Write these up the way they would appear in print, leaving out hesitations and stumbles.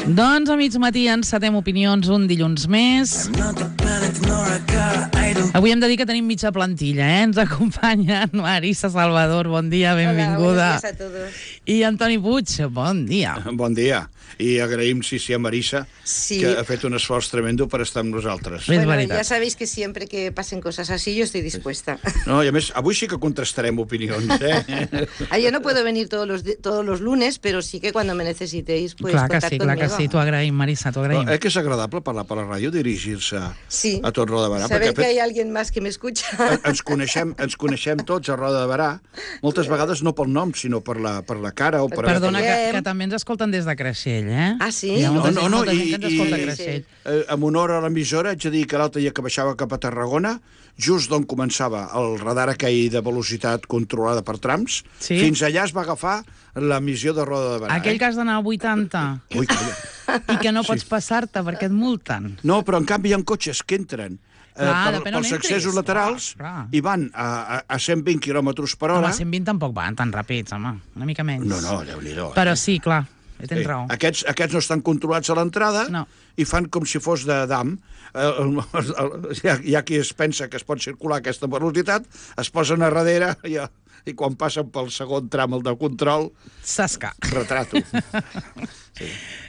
Doncs a mig matí encetem opinions un dilluns més. Avui hem de dir que tenim mitja plantilla, Ens acompanyen Marisa Salvador, bon dia, benvinguda. Hola, buenos días a todos. I Antoni Puig, bon dia. Bon dia. I agraïm, sí, a Marisa, Sí. que ha fet un esforç tremendo per estar amb nosaltres. És Bueno, veritat. ya sabéis que siempre que pasen cosas así yo estoy dispuesta. No, i a més, avui sí que contrastarem opinions, Yo no puedo venir todos los lunes, pero sí que cuando me necesitéis, pues Clar que contad sí, conmigo. clar que sí, t'ho agraïm, Marisa, t'ho agraïm. Que és agradable parlar per la ràdio, dirigir-se Sí. a tot Roda de Barà. Saber que Perquè hay alguien más que me escucha. ens coneixem tots a Roda de Barà, moltes vegades no pel nom, sinó per la cara o per... Perdona, Parlem. que també ens escolten des de Creixell, Ah, sí? Hi ha molta gent, No, molta gent que ens escolta a i- Creixell. En honor a l'emissora, haig de dir que l'altre dia que baixava cap a Tarragona, just d'on començava el radar aquell de velocitat controlada per trams, Sí. fins allà es va agafar l'emissió de Roda de Barà. Aquell que has d'anar a 80 Ui, calla. i que no pots passar-te perquè et multen. No, però en canvi hi ha cotxes que entren Clar, depèn on pels entris. accessos laterals Clar. i van a 120 km per hora. Home, 120 tampoc van tan ràpids, home, una mica menys. No, Déu-n'hi-do. Però sí, clar, tens raó. Aquests no estan controlats a l'entrada No. i fan com si fos de dam. Hi ha qui es pensa que es pot circular a aquesta velocitat, es posen a darrere i quan passen pel segon tram, el de control, Sasca. retrato.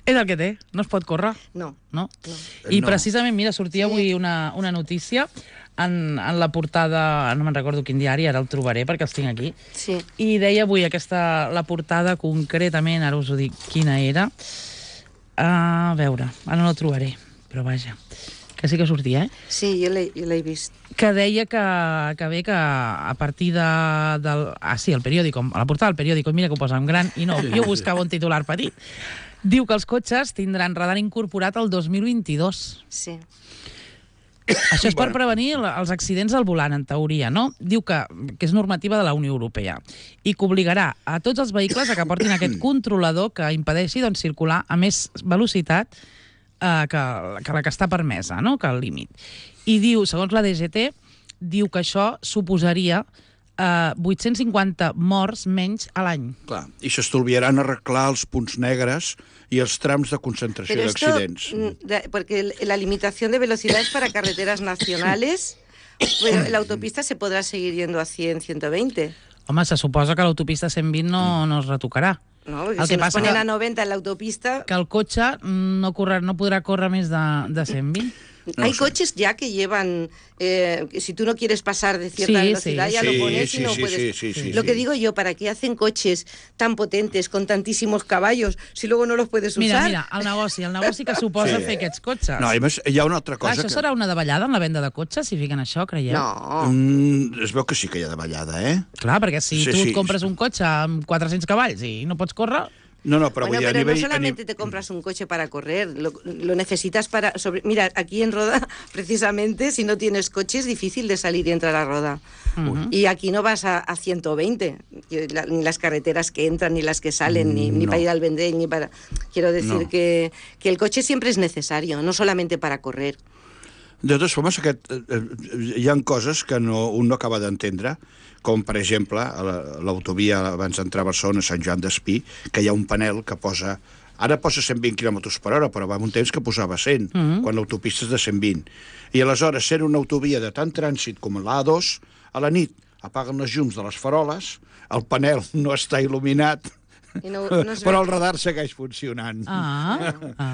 És el que té, no es pot córrer. No. No? I No. precisament, mira, sortia avui una notícia en la portada, no me'n recordo quin diari, ara el trobaré perquè els tinc aquí, Sí. i deia avui la portada concretament, ara us ho dic quina era, a veure, ara no la trobaré, però vaja, que sí que sortia, Sí, yo la he visto. que deia que bé que a partir sí, el periòdico, a la portada del periòdico, mira que ho posa en gran, i no, jo buscava un titular petit. Diu que els cotxes tindran radar incorporat el 2022. Sí. Això és per prevenir els accidents al volant, en teoria, no? Diu que és normativa de la Unió Europea i que obligarà a tots els vehicles a que portin aquest controlador que impedeixi doncs, circular a més velocitat que la que està permesa, no? Que el límit. I diu, segons la DGT, diu que això suposaria 850 morts menys a l'any. Clar, i s'estalviaran arreglar els punts negres i els trams de concentració Pero esto, d'accidents. porque la limitación de velocidad es para carreteras nacionales, pero en la autopista se podrá seguir yendo a 100, 120. Home, se suposa que l'autopista 120 no es retocarà. No, porque El si que nos passa ponen que- a 90 en la autopista... Que el cotxe no podrà córrer més de 120. Hay coches ya que llevan, si tú no quieres pasar de cierta Sí, velocidad, sí. ya Sí, lo pones sí, y no sí, puedes. sí, Lo sí. que digo yo, ¿para qué hacen coches tan potentes, con tantísimos caballos, si luego no los puedes Mira, usar? el negoci que suposa Sí. fer aquests cotxes. No, i a més, hi ha una altra Clar, cosa això serà una davallada en la venda de cotxes, si fiquen això, creieu? No. Es veu que sí que hi ha davallada, Clar, perquè si Sí, tu sí. et compres un cotxe amb 400 cavalls i no pots córrer... No, però Bueno, vull dir, a pero nivell... no solamente te compras un coche para correr, lo necesitas para... Mira, aquí en Roda, precisamente, si no tienes coche es difícil de salir y entrar a Roda. Y aquí no vas a 120, ni las carreteras que entran, ni las que salen, ni No. para ir al Vendrell, ni para... Quiero decir No. que el coche siempre es necesario, no solamente para correr. De totes formes, hi ha coses que un no acaba d'entendre, com, per exemple, a l'autovia abans d'entrar a Barcelona, Sant Joan d'Espí, que hi ha un panel que posa... Ara posa 120 km per hora, però va un temps que posava 100, quan l'autopista és de 120. I aleshores, sent una autovia de tant trànsit com l'A2, a la nit apaguen les llums de les faroles, el panel no està il·luminat, Y no es però el radar segueix funcionant.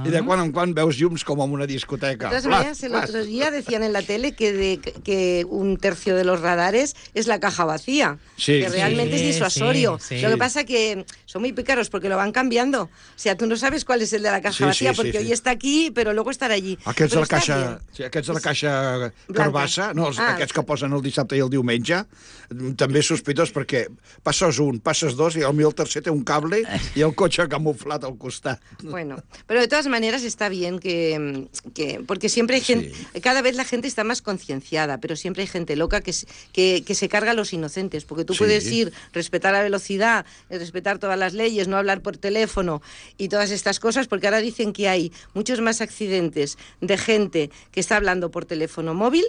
I de quan en quan veus llums com en una discoteca. De todas maneras, el otro día decían en la tele que un tercio de los radares es la caja vacía, Sí, que sí, realmente es disuasorio. sí. Lo que pasa que son muy pícaros porque lo van cambiando. O sea, tú no sabes cuál es el de la caja Sí, vacía sí, porque sí, hoy sí. está aquí, pero luego estarà allí. Aquests de Però la està caixa, bien. sí, aquests de la caixa Blanca. carbassa, no, aquests que posen el dissabte i el diumenge, també és sospitós perquè passes un, passes dos i el tercer té un cable i el cotxe camuflat al costat. Bueno, pero de todas maneras está bien porque siempre hay gente, cada vez la gente está más concienciada, pero siempre hay gente loca que se carga a los inocentes, porque tú Sí. puedes ir, respetar la velocidad, respetar todas las leyes, no hablar por teléfono y todas estas cosas, porque ahora dicen que hay muchos más accidentes de gente que está hablando por teléfono móvil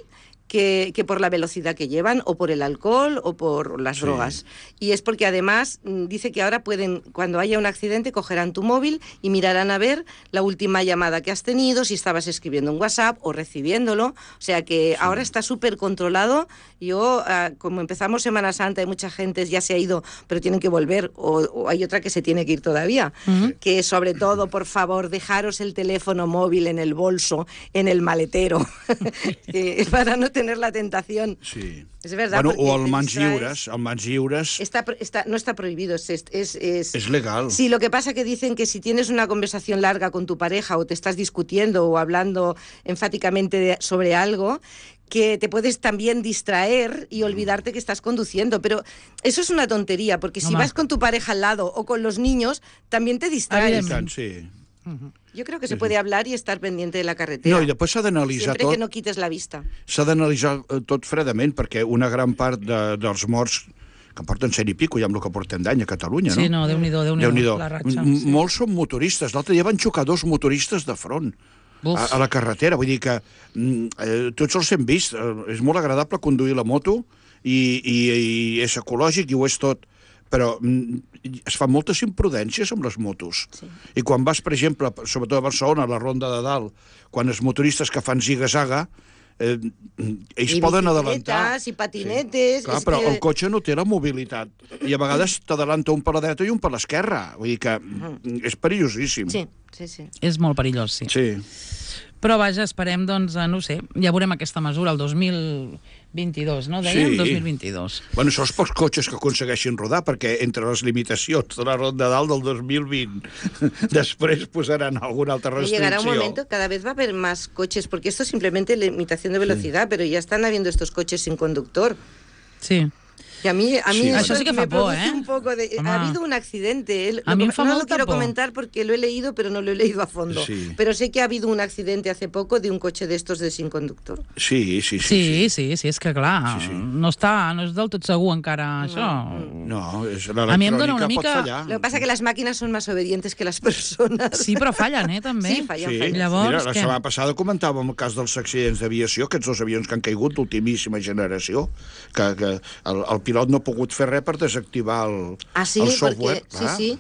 que por la velocidad que llevan, o por el alcohol, o por las drogas. Y es porque además dice que ahora pueden, cuando haya un accidente, cogerán tu móvil y mirarán a ver la última llamada que has tenido, si estabas escribiendo un WhatsApp o recibiéndolo. O sea que ahora está súper controlado. Yo, como empezamos Semana Santa y mucha gente ya se ha ido, pero tienen que volver, o hay otra que se tiene que ir todavía, que sobre todo, por favor, dejaros el teléfono móvil en el bolso, en el maletero, para no tener la tentación. Sí. Es verdad. Bueno, o el mans lliures. El mans lliures no está prohibido. es legal. Sí, lo que pasa que dicen que si tienes una conversación larga con tu pareja o te estás discutiendo o hablando enfáticamente sobre algo, que te puedes también distraer y olvidarte que estás conduciendo. Pero eso es una tontería, porque si vas con tu pareja al lado o con los niños, también te distraes. Sí. Jo crec que se puede hablar i estar pendiente de la carretera. No, i després s'ha d'analitzar Sempre tot. que no quites la vista. S'ha d'analitzar tot fredament, perquè una gran part dels morts que porten 100 i pico, ja amb el que portem d'any a Catalunya, no? Sí, no, Déu-n'hi-do, la ratxa. Molts són motoristes. L'altre dia van xocar 2 motoristes de front a la carretera. Vull dir que tots els hem vist. És molt agradable conduir la moto i és ecològic i ho és tot. Però es fan moltes imprudències amb les motos. Sí. I quan vas, per exemple, sobretot a Barcelona, a la Ronda de Dalt, quan els motoristes que fan ziga-zaga, ells poden adelantar. I patinetes... Sí. Clar, però el cotxe no té la mobilitat. I a vegades t'adelanta un per la dreta i un per l'esquerra. Vull dir que és perillosíssim. Sí. És molt perillós, Sí. Però vaja, esperem, doncs, no sé, ja veurem aquesta mesura el 2022, no? Dèiem? 2022. Bueno, això els pocs cotxes que aconsegueixin rodar, perquè entre les limitacions de la Ronda Dalt del 2020 després posaran alguna altra restricció. Llegará un momento, cada vez va a haber más coches, porque esto es simplemente limitación de velocidad, pero ya están habiendo estos coches sin conductor. Sí. Y a mí eso sí que me fa por, produce un poco de... Ha habido un accidente. A mí me fa no lo molta quiero por. comentar porque lo he leído, pero no lo he leído a fondo. Sí. Pero sé que ha habido un accidente hace poco de un coche de estos de sin conductor. Sí, és que clar, no és del tot segur encara això. No, a mi em dona una l'electrònica mica... pot fallar. Lo que pasa es que las máquinas son más obedientes que las personas. Sí, però fallen, també. Sí, fallen. Llavors, mira, la setmana passada comentàvem el cas dels accidents d'aviació, aquests 2 avions que han caigut d'ultimíssima generació, que el pilot no ha pogut fer res per desactivar el software. Porque, sí.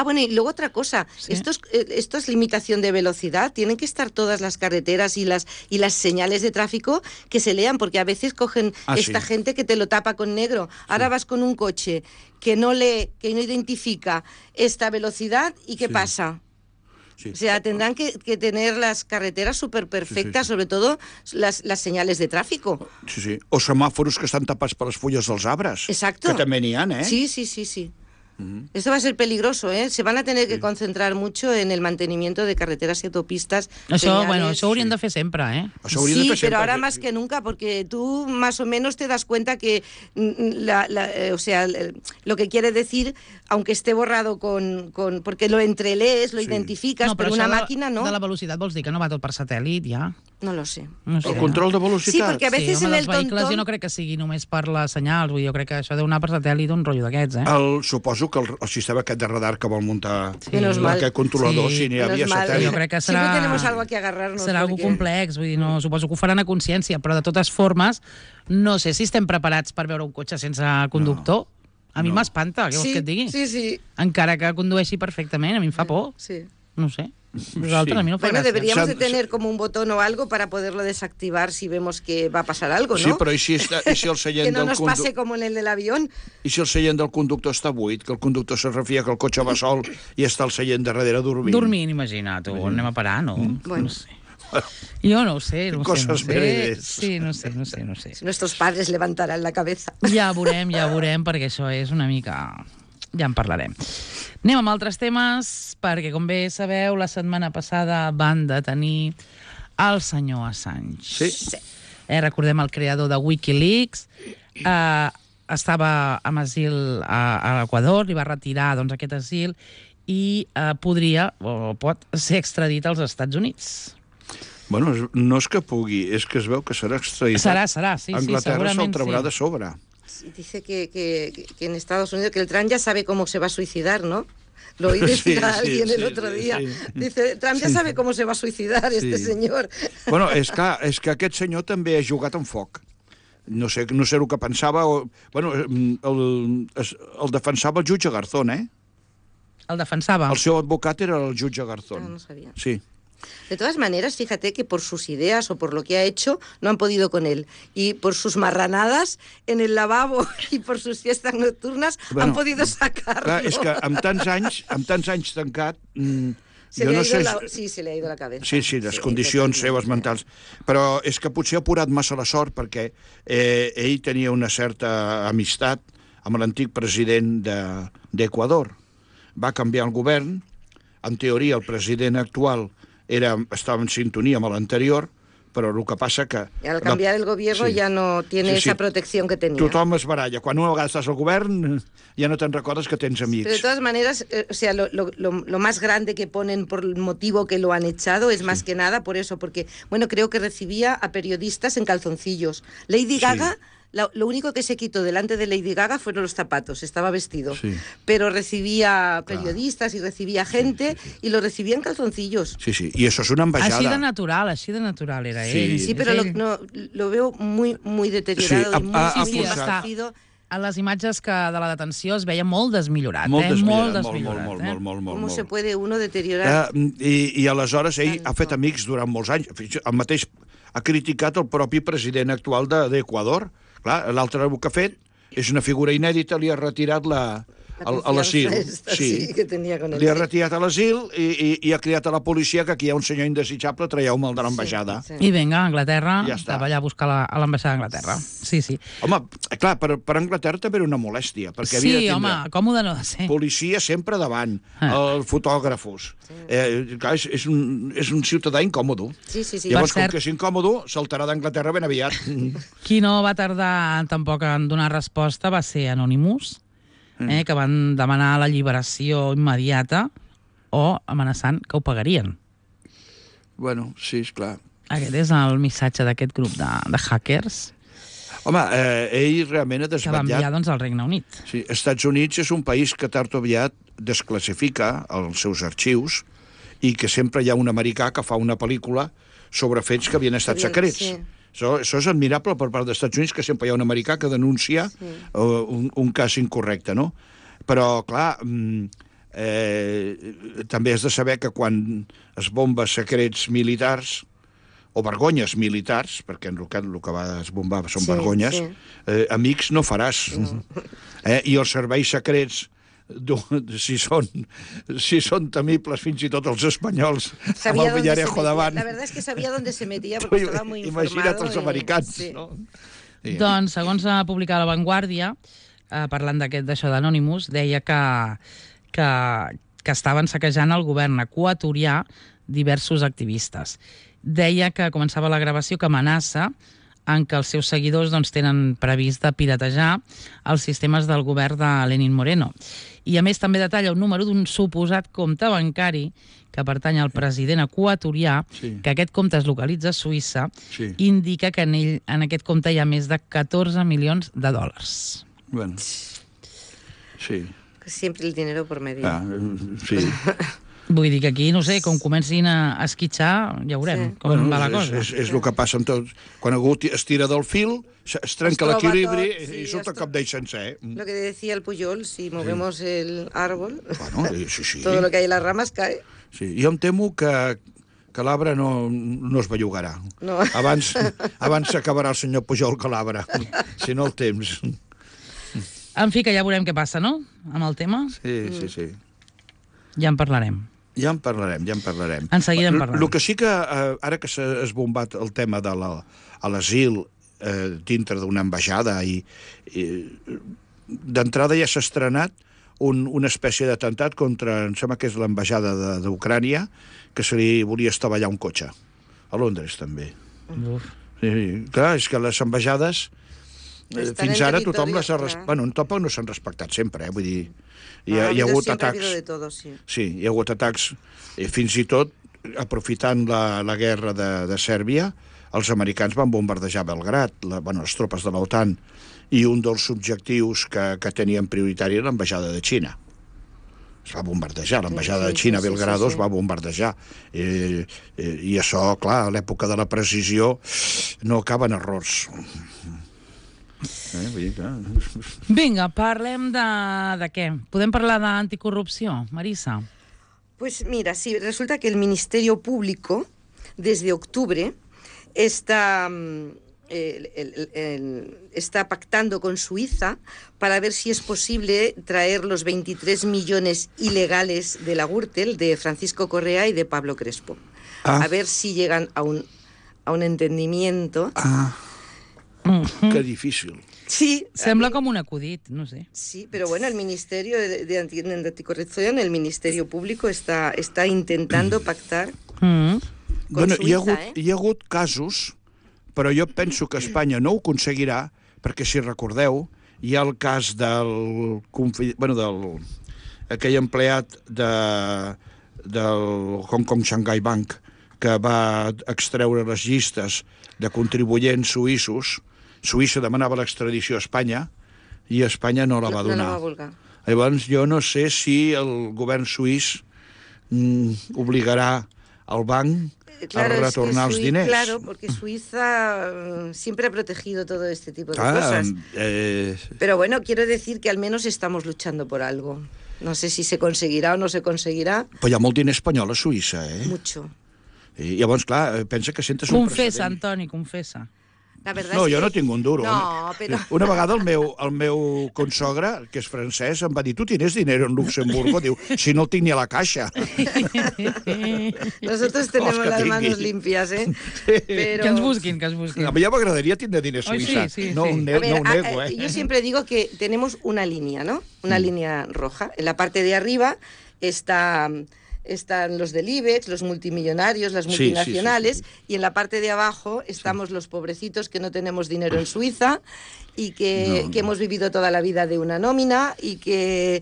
Bueno, y luego otra cosa, esto es limitación de velocidad, tienen que estar todas las carreteras y las señales de tráfico que se lean, porque a veces cogen gente que te lo tapa con negro. Ahora vas con un coche que no lee, que no identifica esta velocidad, ¿y qué pasa? Sí. O sea, tendrán que tener las carreteras súper perfectas, sobre todo las señales de tráfico. Sí. O semàforos que estan tapats per les fulles dels arbres. Exacto. Que també n'hi ha, eh? Sí. Esto va a ser peligroso, ¿eh? Se van a tener que concentrar mucho en el mantenimiento de carreteras y autopistas. Això ho haurien de fer sempre, ¿eh? Sí, pero ahora más que nunca, porque tú más o menos te das cuenta que lo que quiere decir, aunque esté borrado porque lo entrelees, lo identificas, pero una máquina no. De la velocitat vols dir que no va tot per satèl·lit, ja? No lo sé. El control de velocitat? Sí, perquè a veces en el vehicles jo no crec que sigui només per les senyals, vull dir, jo crec que això deu anar per satèl·lit un rotllo d'aquests, eh? Suposo que el sistema aquest de radar que vol muntar aquest controlador, si n'hi havia satèl·lit. Jo crec que serà... Siempre tenemos algo que agarrarnos. Serà algo complex, vull dir, no, suposo que ho faran a consciència, però de totes formes, no sé si estem preparats per veure un cotxe sense conductor. A mi m'espanta, què vols que et digui? Sí. Encara que condueixi perfectament, a mi em fa por. Sí. No sé. Nosaltres, a mi no fa gràcia. Deberíamos de tener como un botón o algo para poderlo desactivar si vemos que va a pasar algo, ¿no? Sí, però i si el seient que no nos pase como en el del avión. I si el seient del conductor està buit, que el conductor se refia que el cotxe va sol i està el seient darrere dormint? Dormint, imagina't, anem a parar, no? Bueno. No sé. Jo no ho sé, no sé. Sí, no sé. Nuestros padres levantarán la cabeza. Ja veurem, perquè això és una mica... Ja en parlarem. Anem amb altres temes, perquè, com bé sabeu, la setmana passada van detenir el senyor Assange. Sí. Recordem el creador de Wikileaks. Estava amb asil a l'Equador, li va retirar aquest asil i pot ser extradit als Estats Units. Bueno, no és que pugui, és que es veu que serà extraditat. Serà, sí, Anglaterra se'l traurà de sobre. Dice que en Estados Unidos, que el Trump ya sabe cómo se va a suicidar, ¿no? Lo oí decir a Sí, alguien sí, el otro sí, día. sí. Dice, Trump ja sabe com se va a suicidar, este senyor. Bueno, és que aquest senyor també ha jugat amb foc. No sé el que pensava. Bueno, el defensava el jutge Garzón, eh? El defensava. El seu advocat era el jutge Garzón. No sabía. Sí. De todas maneras, fíjate que por sus ideas o por lo que ha hecho, no han podido con él. Y por sus marranadas en el lavabo y por sus fiestas nocturnas han podido sacarlo. Clar, és que amb tants anys tancat... Se le ha ido la cabeza. Sí, les condicions seves mentals. Però és que potser ha apurat massa la sort perquè ell tenia una certa amistat amb l'antic president d'Equador. Va canviar el govern. En teoria, el president actual estaba en sintonía amb l'anterior, però el que passa que... Y al cambiar el gobierno ya no tiene esa protección que tenía. Tothom es baralla. Quan una vegada estàs al govern ja no te'n recordes que tens amics. Pero de todas maneras, o sea, lo más grande que ponen por el motivo que lo han echado es más que nada por eso, porque, bueno, creo que recibía a periodistas en calzoncillos. Lady Gaga... Lo único que se quitó delante de Lady Gaga fueron los zapatos, estaba vestido. Sí. Pero recibía periodistas y recibía gente y lo recibía en calzoncillos. Sí, y eso es una ambaixada. Així de natural era ell. Sí, però lo veo muy deteriorado y muy desfacido. A les imatges de la detenció es veia molt desmillorat. Molt desmillorat. Com se puede uno deteriorar? I aleshores ell ha fet amics durant molts anys. El mateix ha criticat el propi president actual d'Equador. Clar, l'altre que ha fet és una figura inèdita, li ha retirat a l'asil. Sí, que tenia con li ha retirat a l'asil i ha criat a la policia que aquí hi ha un senyor indesitjable, traieu-me'l de l'ambaixada. I vinga, a Anglaterra, estava allà a buscar a l'ambaixada d'Anglaterra. Sí. Home, clar, per Anglaterra també era una molèstia, perquè havia de tindre... Sí, home, còmode no ha de ser. Policia sempre davant, els fotògrafos. Clar, és un ciutadà incòmodo. Sí. Llavors, com que és incòmodo, saltarà d'Anglaterra ben aviat. Qui no va tardar tampoc en donar resposta va ser Anonymous, que van demanar l'alliberació immediata o amenaçant que ho pagarien. Bueno, sí, esclar. Aquest és el missatge d'aquest grup de hackers. Home, ell realment ha desvetllat... Que va enviar, doncs, al Regne Unit. Sí, Estats Units és un país que tard o aviat desclassifica els seus arxius i que sempre hi ha un americà que fa una pel·lícula sobre fets que havien estat secrets. Sí. Això és admirable per part dels Estats Units, que sempre hi ha un americà que denuncia un cas incorrecte, no? Però, clar, també has de saber que quan es bomba secrets militars o vergonyes militars, perquè el que va esbombar són vergonyes, amics no faràs. No. I els serveis secrets, si són temibles fins i tot els espanyols amb el Villarejo davant. La verdad es que sabia on se metia perquè estava molt informado. Imagina't els americans, no? Sí. Doncs, segons ha publicat La Vanguardia, parlant d'això d'Anonymous, deia que estaven saquejant el govern equatorià diversos activistes. Deia que començava la gravació que amenaça en què els seus seguidors tenen previst de piratejar els sistemes del govern de Lenín Moreno. I a més també detalla un número d'un suposat compte bancari que pertany al president equatorià, que aquest compte es localitza a Suïssa, indica que en aquest compte hi ha més de 14 milions de dòlars. Bueno, sí. Siempre el dinero por medio. Sí. Vull dir que aquí, no sé, com comencin a esquitxar, ja veurem com va la cosa. És el que passa amb tot. Quan algú es tira del fil, es trenca l'equilibri i surt el cap d'ell sencer. Lo que decía el Pujol, si movemos el árbol, sí. todo lo que hay en las ramas cae. Sí, jo em temo que l'arbre no es bellugarà. No. Abans s'acabarà el senyor Pujol que l'arbre, si no el temps. En fi, que ja veurem què passa, no?, amb el tema. Sí. Ja en parlarem. Ja en parlarem. En seguida en parlarem. El que sí que, ara que s'ha esbombat el tema de l'asil dintre d'una ambaixada, i d'entrada ja s'ha estrenat una espècie d'atemptat contra, em sembla que és l'ambaixada d'Ucrània, que se li volia estavellar un cotxe. A Londres, també. Sí, clar, és que les ambaixades, fins ara tothom les ha... Bueno, tampoc no s'han respectat sempre, vull dir... Hi ha hagut atacs... Sí, hi ha hagut atacs, fins i tot, aprofitant la guerra de Sèrbia, els americans van bombardejar Belgrad, les tropes de l'OTAN, i un dels objectius que tenien prioritari era l'ambaixada de Xina. es va bombardejar, l'ambaixada de Xina a Belgrado es va bombardejar. I això, clar, a l'època de la precisió no acaben errors. Vull dir que... Vinga, parlem de què? Podem parlar d'anticorrupció, Marisa? Pues mira, sí, resulta que el Ministerio Público, desde octubre, está pactando con Suiza para ver si es posible traer los 23 millones ilegales de la Gürtel, de Francisco Correa y de Pablo Crespo. A ver si llegan a un entendimiento. Que difícil. Sí. Sembla com un acudit, no sé. Sí, pero bueno, el Ministerio de Anticorrupción, el Ministerio Público está intentando pactar con Suïssa, Hi ha hagut casos, però jo penso que Espanya no ho aconseguirà, perquè si recordeu, hi ha el cas aquell empleat del Hong Kong Shanghai Bank que va extreure les llistes de contribuents suïssos. Suïssa demanava l'extradició a Espanya i Espanya no la va donar. No la va voler. Llavors, jo no sé si el govern suís obligarà al banc a retornar els diners. Claro, porque Suiza siempre ha protegido todo este tipo de cosas. Pero bueno, quiero decir que al menos estamos luchando por algo. No sé si se conseguirá o no se conseguirá. Però hi ha molt diner espanyol a Suïssa, Mucho. I llavors, clar, pensa que sentes un precedent. Confessa, Antoni, confessa. No, jo no tinc un duro. No, però... Una vegada el meu consogre, que és francès, em va dir, tu tienes dinero en Luxemburgo? Diu, si no el tinc ni a la caixa. Nosotros tenemos las manos limpias, Pero... Que ens busquin, que ens busquin. A mi ja m'agradaria tindre diners a Suïssa. No ho nego, Yo siempre digo que tenemos una línea, ¿no? Una línea roja. En la parte de arriba están los del IBEX, los multimillonarios, las multinacionales, y en la parte de abajo estamos los pobrecitos que no tenemos dinero en Suiza y que hemos vivido toda la vida de una nómina y que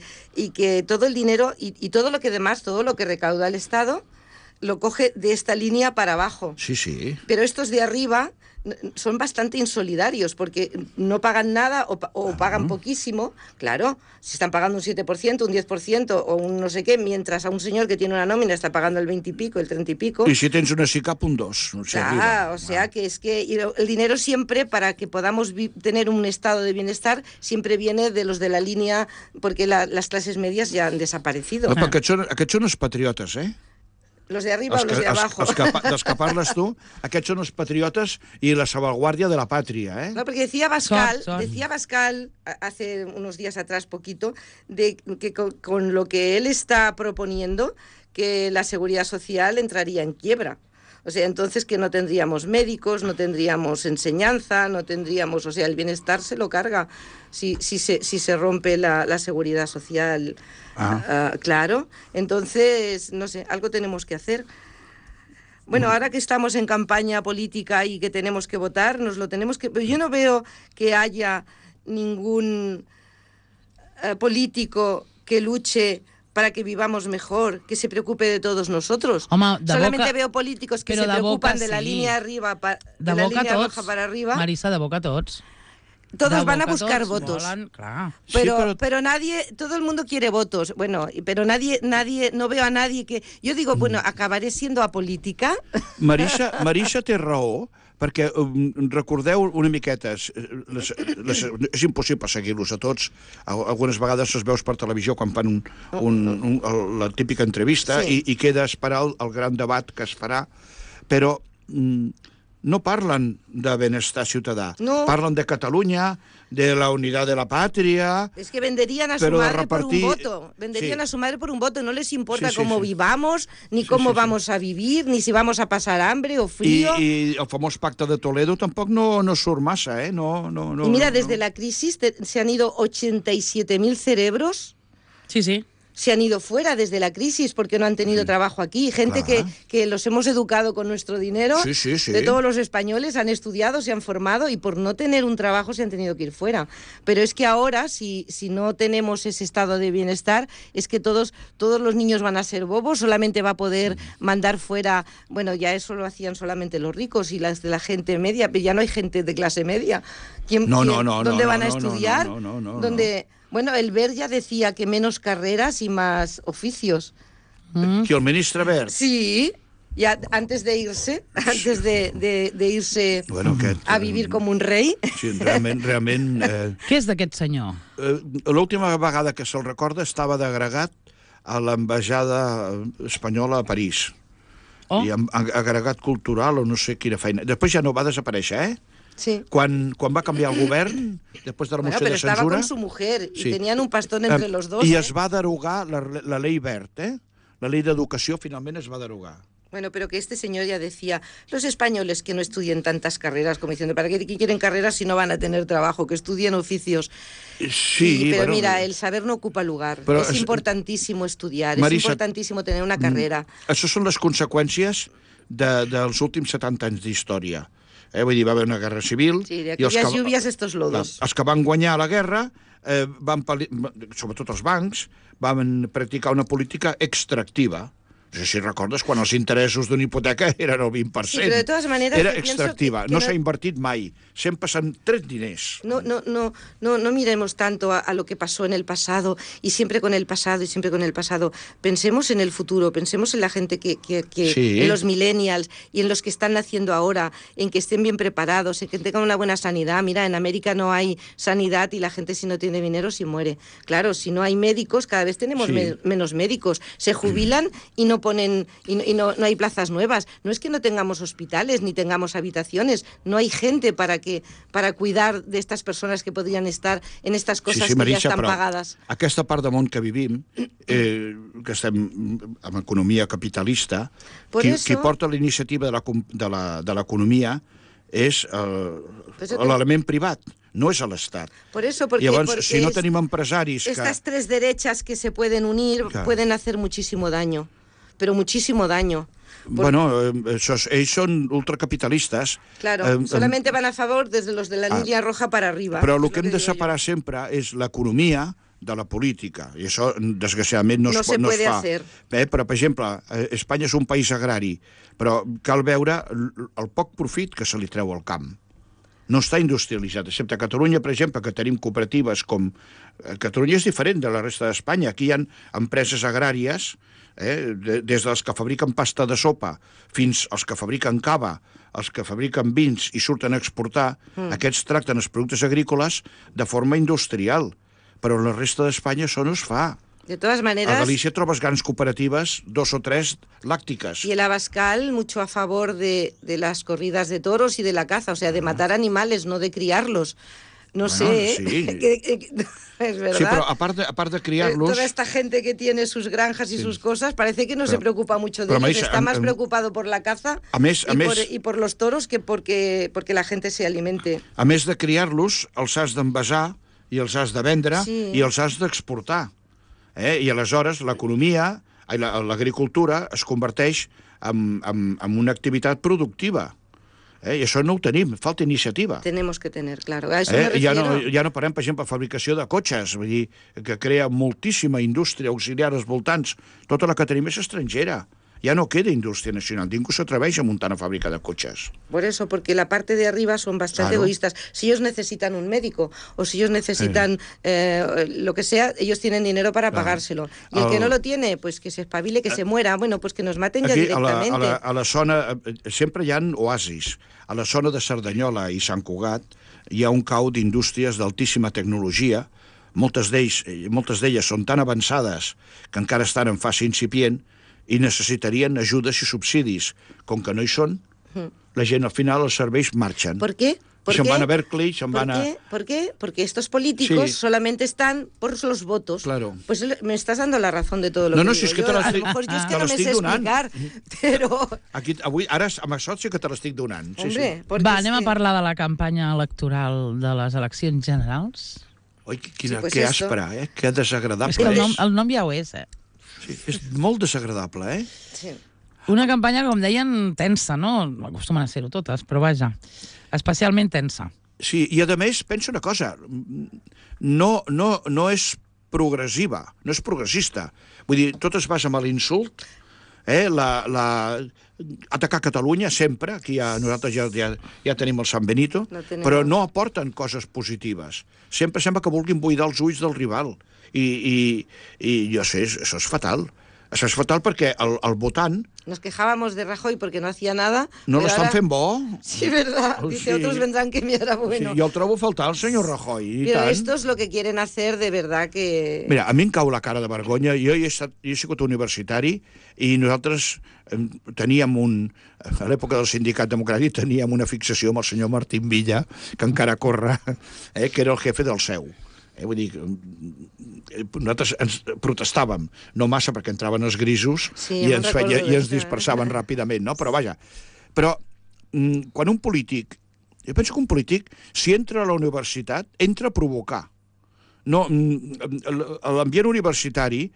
todo el dinero y todo lo que demás, todo lo que recauda el Estado, lo coge de esta línea para abajo. Sí. Pero estos de arriba son bastante insolidarios porque no pagan nada o pagan poquísimo. Claro, si están pagando un 7%, un 10% o un no sé qué, mientras a un señor que tiene una nómina está pagando el 20 y pico, el 30 y pico. Y si tens una SICAP, un 2. O sea que es que el dinero siempre, para que podamos tener un estado de bienestar, siempre viene de los de la línea, porque las clases medias ya han desaparecido. Perquè aquests són els patriotes, Los de arriba o los de abajo. Dels que parles tu, aquests són els patriotes i la salvaguardia de la pàtria, No, porque decía Bascal hace unos días atrás, poquito, de que con lo que él está proponiendo, que la seguridad social entraría en quiebra. O sea, entonces que no tendríamos médicos, no tendríamos enseñanza, no tendríamos... O sea, el bienestar se lo carga si se rompe la seguridad social. Claro. Entonces, no sé, algo tenemos que hacer. Bueno, ahora que estamos en campaña política y que tenemos que votar, nos lo tenemos que... Yo no veo que haya ningún político que luche para que vivamos mejor, que se preocupe de todos nosotros. Solamente veo políticos que se preocupan de la línea arriba, de la línea roja para arriba. Marisa, de boca tots. Todos van a buscar votos. Pero nadie, todo el mundo quiere votos. Bueno, pero nadie, no veo a nadie que... Yo digo, bueno, acabaré siendo apolítica. Marisa té raó, perquè recordeu una miqueta, és impossible seguir-los a tots, algunes vegades els veus per televisió quan fan la típica entrevista i queda a esperar el gran debat que es farà, però no parlen de benestar ciutadà, parlen de Catalunya, de la unidad de la patria... Es que venderían a su madre por un voto. Venderían a su madre por un voto. No les importa cómo vivamos, ni cómo vamos a vivir, ni si vamos a pasar hambre o frío. I el famós pacte de Toledo tampoc no surt massa, y mira, desde la crisis se han ido 87.000 cerebros. Sí. Se han ido fuera desde la crisis porque no han tenido trabajo aquí. Gente que los hemos educado con nuestro dinero, de todos los españoles, han estudiado, se han formado y por no tener un trabajo se han tenido que ir fuera. Pero es que ahora, si no tenemos ese estado de bienestar, es que todos los niños van a ser bobos, solamente va a poder mandar fuera... Bueno, ya eso lo hacían solamente los ricos y las de la gente media, pero ya no hay gente de clase media. ¿Dónde van a estudiar? Bueno, el Wert ya decía que menos carreras y más oficios. Qui, el ministre Wert? Sí, ya antes de irse, Bueno, a vivir com un rei. Sí, realment... Què és d'aquest senyor? L'última vegada que se'l recorda estava d'agregat a l'ambaixada espanyola a París. I agregat cultural o no sé quina feina. Després ja no va desaparèixer, Sí. Quan va canviar el govern, després de la moció de censura... Pero estaba con su mujer y tenían un pastón entre los dos. I es va derogar la ley Wert, La ley d'educació finalment es va derogar. Bueno, pero que este señor ya decía, los españoles que no estudien tantas carreras, como diciendo, ¿para qué quieren carreras si no van a tener trabajo? Que estudien oficios. Sí, pero bueno, mira, el saber no ocupa lugar. Es importantísimo estudiar, Marisa, es importantísimo tener una carrera. Això són les conseqüències dels últims 70 anys d'història. Vull dir, va haver una guerra civil... Sí, de aquelles lluvias estos lodos. Els que van guanyar la guerra, sobretot els bancs, van practicar una política extractiva. No sé si recordes quan els interessos d'una hipoteca eren el 20%. Sí, pero de todas maneras... Era extractiva. No s'ha invertit mai. Sempre s'han tret diners. No miremos tanto a lo que pasó en el pasado y siempre con el pasado y siempre con el pasado. Pensemos en el futuro, pensemos en la gente que sí, en los millennials y en los que están naciendo ahora, en que estén bien preparados, en que tengan una buena sanidad. Mira, en América no hay sanidad y la gente si no tiene dinero se muere. Claro, si no hay médicos, cada vez tenemos menos médicos. Se jubilan y no ponen no hay plazas nuevas. No es que no tengamos hospitales ni tengamos habitaciones, no hay gente para cuidar de estas persones que podrien estar en estas coses que Marisa, ja estan pagades. Aquesta part del món que vivim, que estem en economia capitalista, qui porta la iniciativa de l'economia és l'element privat. No es al Estado. Por eso, porque si no tenim empresaris... Estas tres derechas que se pueden unir pueden hacer muchísimo daño. Pero muchísimo daño. Bueno, ells són ultracapitalistes. Claro, solamente van a favor desde los de la línea roja para arriba. Però el que hem de separar sempre és l'economia de la política, i això, desgraciadament, no es fa. Però, per exemple, Espanya és un país agrari, però cal veure el poc profit que se li treu al camp. No està industrialitzat, excepte a Catalunya, per exemple, que tenim cooperatives com... Catalunya és diferent de la resta d'Espanya. Aquí hi ha empreses agràries, des dels que fabriquen pasta de sopa fins als que fabriquen cava, els que fabriquen vins i surten a exportar, aquests tracten els productes agrícoles de forma industrial. Però en la resta d'Espanya això no es fa. De todas maneras... A Galícia trobes grans cooperatives, 2 o 3 lácticas. Y el Abascal mucho a favor de las corridas de toros y de la caza, o sea, de matar animales, no de criarlos. No sé, sí. Es verdad. Sí, pero aparte de criarlos... Toda esta gente que tiene sus granjas y sus cosas, parece que no se preocupa mucho de ellos. Está más preocupado por la caza y por los toros que porque la gente se alimente. A més de criar-los, els has d'envasar i els has de vendre i els has d'exportar. I aleshores l'economia, l'agricultura, es converteix en una activitat productiva. I això no ho tenim, falta iniciativa. Tenemos que tener, claro. A eso me refiero. Ja no parem, per exemple, fabricació de cotxes, vull dir, que crea moltíssima indústria auxiliar als voltants. Tota la que tenim és estrangera. Ya no queda industria nacional. Ningú s'atreveix a muntar una fábrica de coches. Por eso, porque la parte de arriba son bastante egoístas. Si ellos necesitan un médico o si ellos necesitan lo que sea, ellos tienen dinero para pagárselo. Y el que no lo tiene, pues que se espabile, que se muera. Bueno, pues que nos maten ya directamente. A la zona, sempre hi ha oasis. A la zona de Cerdanyola i Sant Cugat hi ha un cau d'indústries d'altíssima tecnologia. Moltes d'elles són tan avançades que encara estan en fase incipient i necessitarien ajudes i subsidis. Com que no hi són, la gent al final els serveis marxen. ¿Por qué? Se van a Berkeley, se van a... ¿Por qué? Porque estos políticos solamente están por los votos. Claro. Pues me estás dando la razón de todo lo que digo. Si és que te l'estic donant. A lo mejor yo es que no me sé explicar, però... Avui, ara, amb això sí que te l'estic donant. Va, anem a parlar de la campanya electoral de les eleccions generals. Oi, que aspra, que desagradable. És que el nom ja ho és, Sí, és molt desagradable, Sí. Una campanya, com deien, tensa, no? Acostumen a ser-ho totes, però vaja, especialment tensa. Sí, i a més, penso una cosa, no és progressiva, no és progressista. Vull dir, tot es basa en l'insult atacar Catalunya sempre, aquí nosaltres ja tenim el San Benito, però no aporten coses positives. Sempre sembla que vulguin buidar els ulls del rival. I jo sé, això és fatal. Això és fatal perquè el votant... Nos quejábamos de Rajoy porque no hacía nada. No l'estan fent bo. Sí, verdad. Dice, otros vendrán que me hará bueno. Sí, jo el trobo a faltar, el senyor Rajoy. Però esto es lo que quieren hacer de verdad que... Mira, a mi em cau la cara de vergonya. Jo he sigut universitari i nosaltres teníem a l'època del Sindicat Democràtic teníem una fixació amb el senyor Martín Villa, que encara corre, que era el jefe del CEU. Vull dir, nosaltres ens protestàvem, no massa perquè entraven els grisos i ens dispersaven ràpidament, no? Però vaja, quan un polític, jo penso que un polític, si entra a la universitat, entra a provocar. No, l'ambient universitari...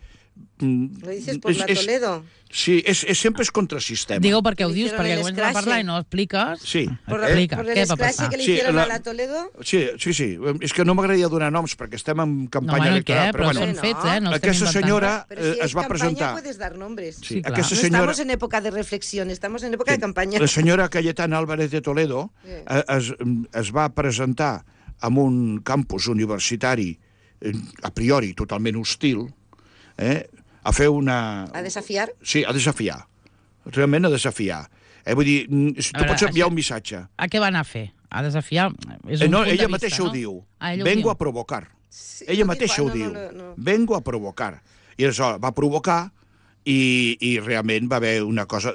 Lo dices por la Toledo. Sí, sempre és contrasistema. Digue-ho perquè ho dius, perquè comences a parlar i no ho expliques. Sí. Por l'escrache que li hicieron a la Toledo? Sí. És que no m'agradaria donar noms perquè estem en campanya electoral. Però són fets, no aquesta senyora es va presentar... Pero si es campaña puedes dar nombres. Sí, clar. No estamos en época de reflexión, estamos en época de campaña. La senyora Cayetana Álvarez de Toledo es va presentar en un campus universitari a priori totalment hostil, a fer una... A desafiar? Sí, a desafiar. Realment a desafiar. Vull dir, tu pots enviar un missatge. A què va anar a fer? A desafiar? Ella mateixa ho diu. Vengo a provocar. Ella mateixa ho diu. Vengo a provocar. I aleshores va provocar y realment va haver una cosa...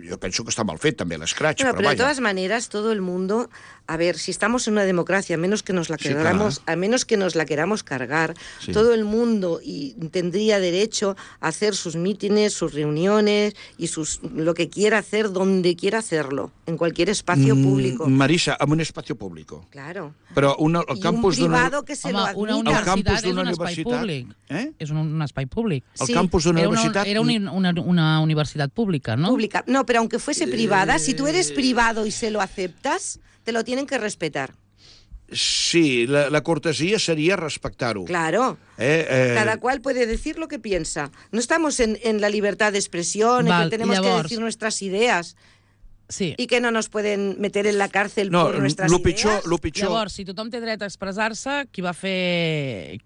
Yo penso que está mal fet també l'escratx, pero de todas maneras todo el mundo, a ver, si estamos en una democracia, a menos que nos la queramos cargar, todo el mundo tendría derecho a hacer sus mítines, sus reuniones y lo que quiera hacer donde quiera hacerlo, en cualquier espacio público. Marisa, en un espacio público. Claro. Però el campus un privado que se lo admita. Una universitat és un espai públic. És un espai públic. El campus d'una universitat... Era una universitat pública, ¿no? Pública. No, pero aunque fuese privada, si tú eres privado y se lo aceptas, te lo tienen que respetar. Sí, la cortesía sería respetar-ho. Claro. Cada cual puede decir lo que piensa. No estamos en la libertad de expresión, en que tenemos que decir nuestras ideas. Sí. I que no nos pueden meter en la càrcel por nuestras ideas. Lo pitjor... Llavors, si tothom té dret a expressar-se, qui va fer...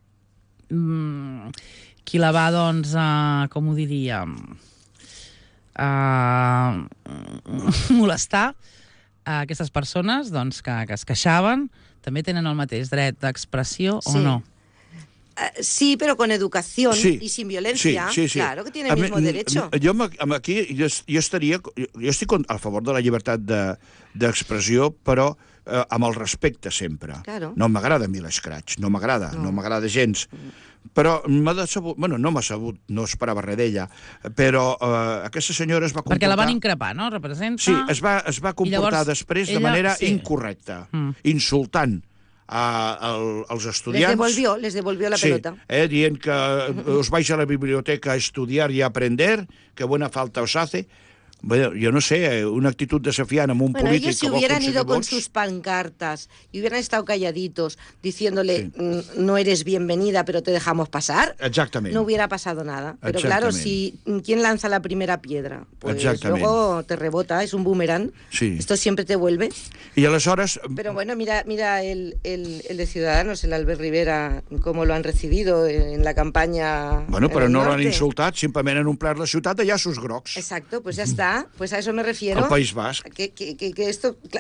qui la va, doncs, com ho diríem... molestar a aquestes persones doncs, que es queixaven, també tenen el mateix dret d'expressió o no? Sí, pero con educación y sin violencia, claro que tiene el mismo derecho. Jo estic a favor de la llibertat d'expressió, però amb el respecte sempre. Claro. No m'agrada a mi l'escratx, no m'agrada gens. Però m'ha decebut, no m'ha sabut, no esperava res d'ella, però aquesta senyora es va comportar... Perquè la van increpar, no? Representa... Sí, es va comportar després de manera incorrecta, insultant als estudiants. Les devolvió la pelota. Dient que os vais a la biblioteca a estudiar y a aprender, que buena falta os hace. Bueno, yo no sé, una actitud desafiante en un político... Ellos si hubieran ido con sus pancartas y hubieran estado calladitos diciéndole no eres bienvenida pero te dejamos pasar, no hubiera pasado nada. Pero claro, si ¿quién lanza la primera piedra? Pues luego te rebota, es un boomerang. Sí. Esto siempre te vuelve. Y aleshores... Pero bueno, mira el de Ciudadanos, el Albert Rivera, cómo lo han recibido en la campaña. Bueno, pero no lo han insultat, simplement han omplert la ciutat de llaços grocs. Exacto, pues ya está. Pues a eso me refiero. Al País Basc.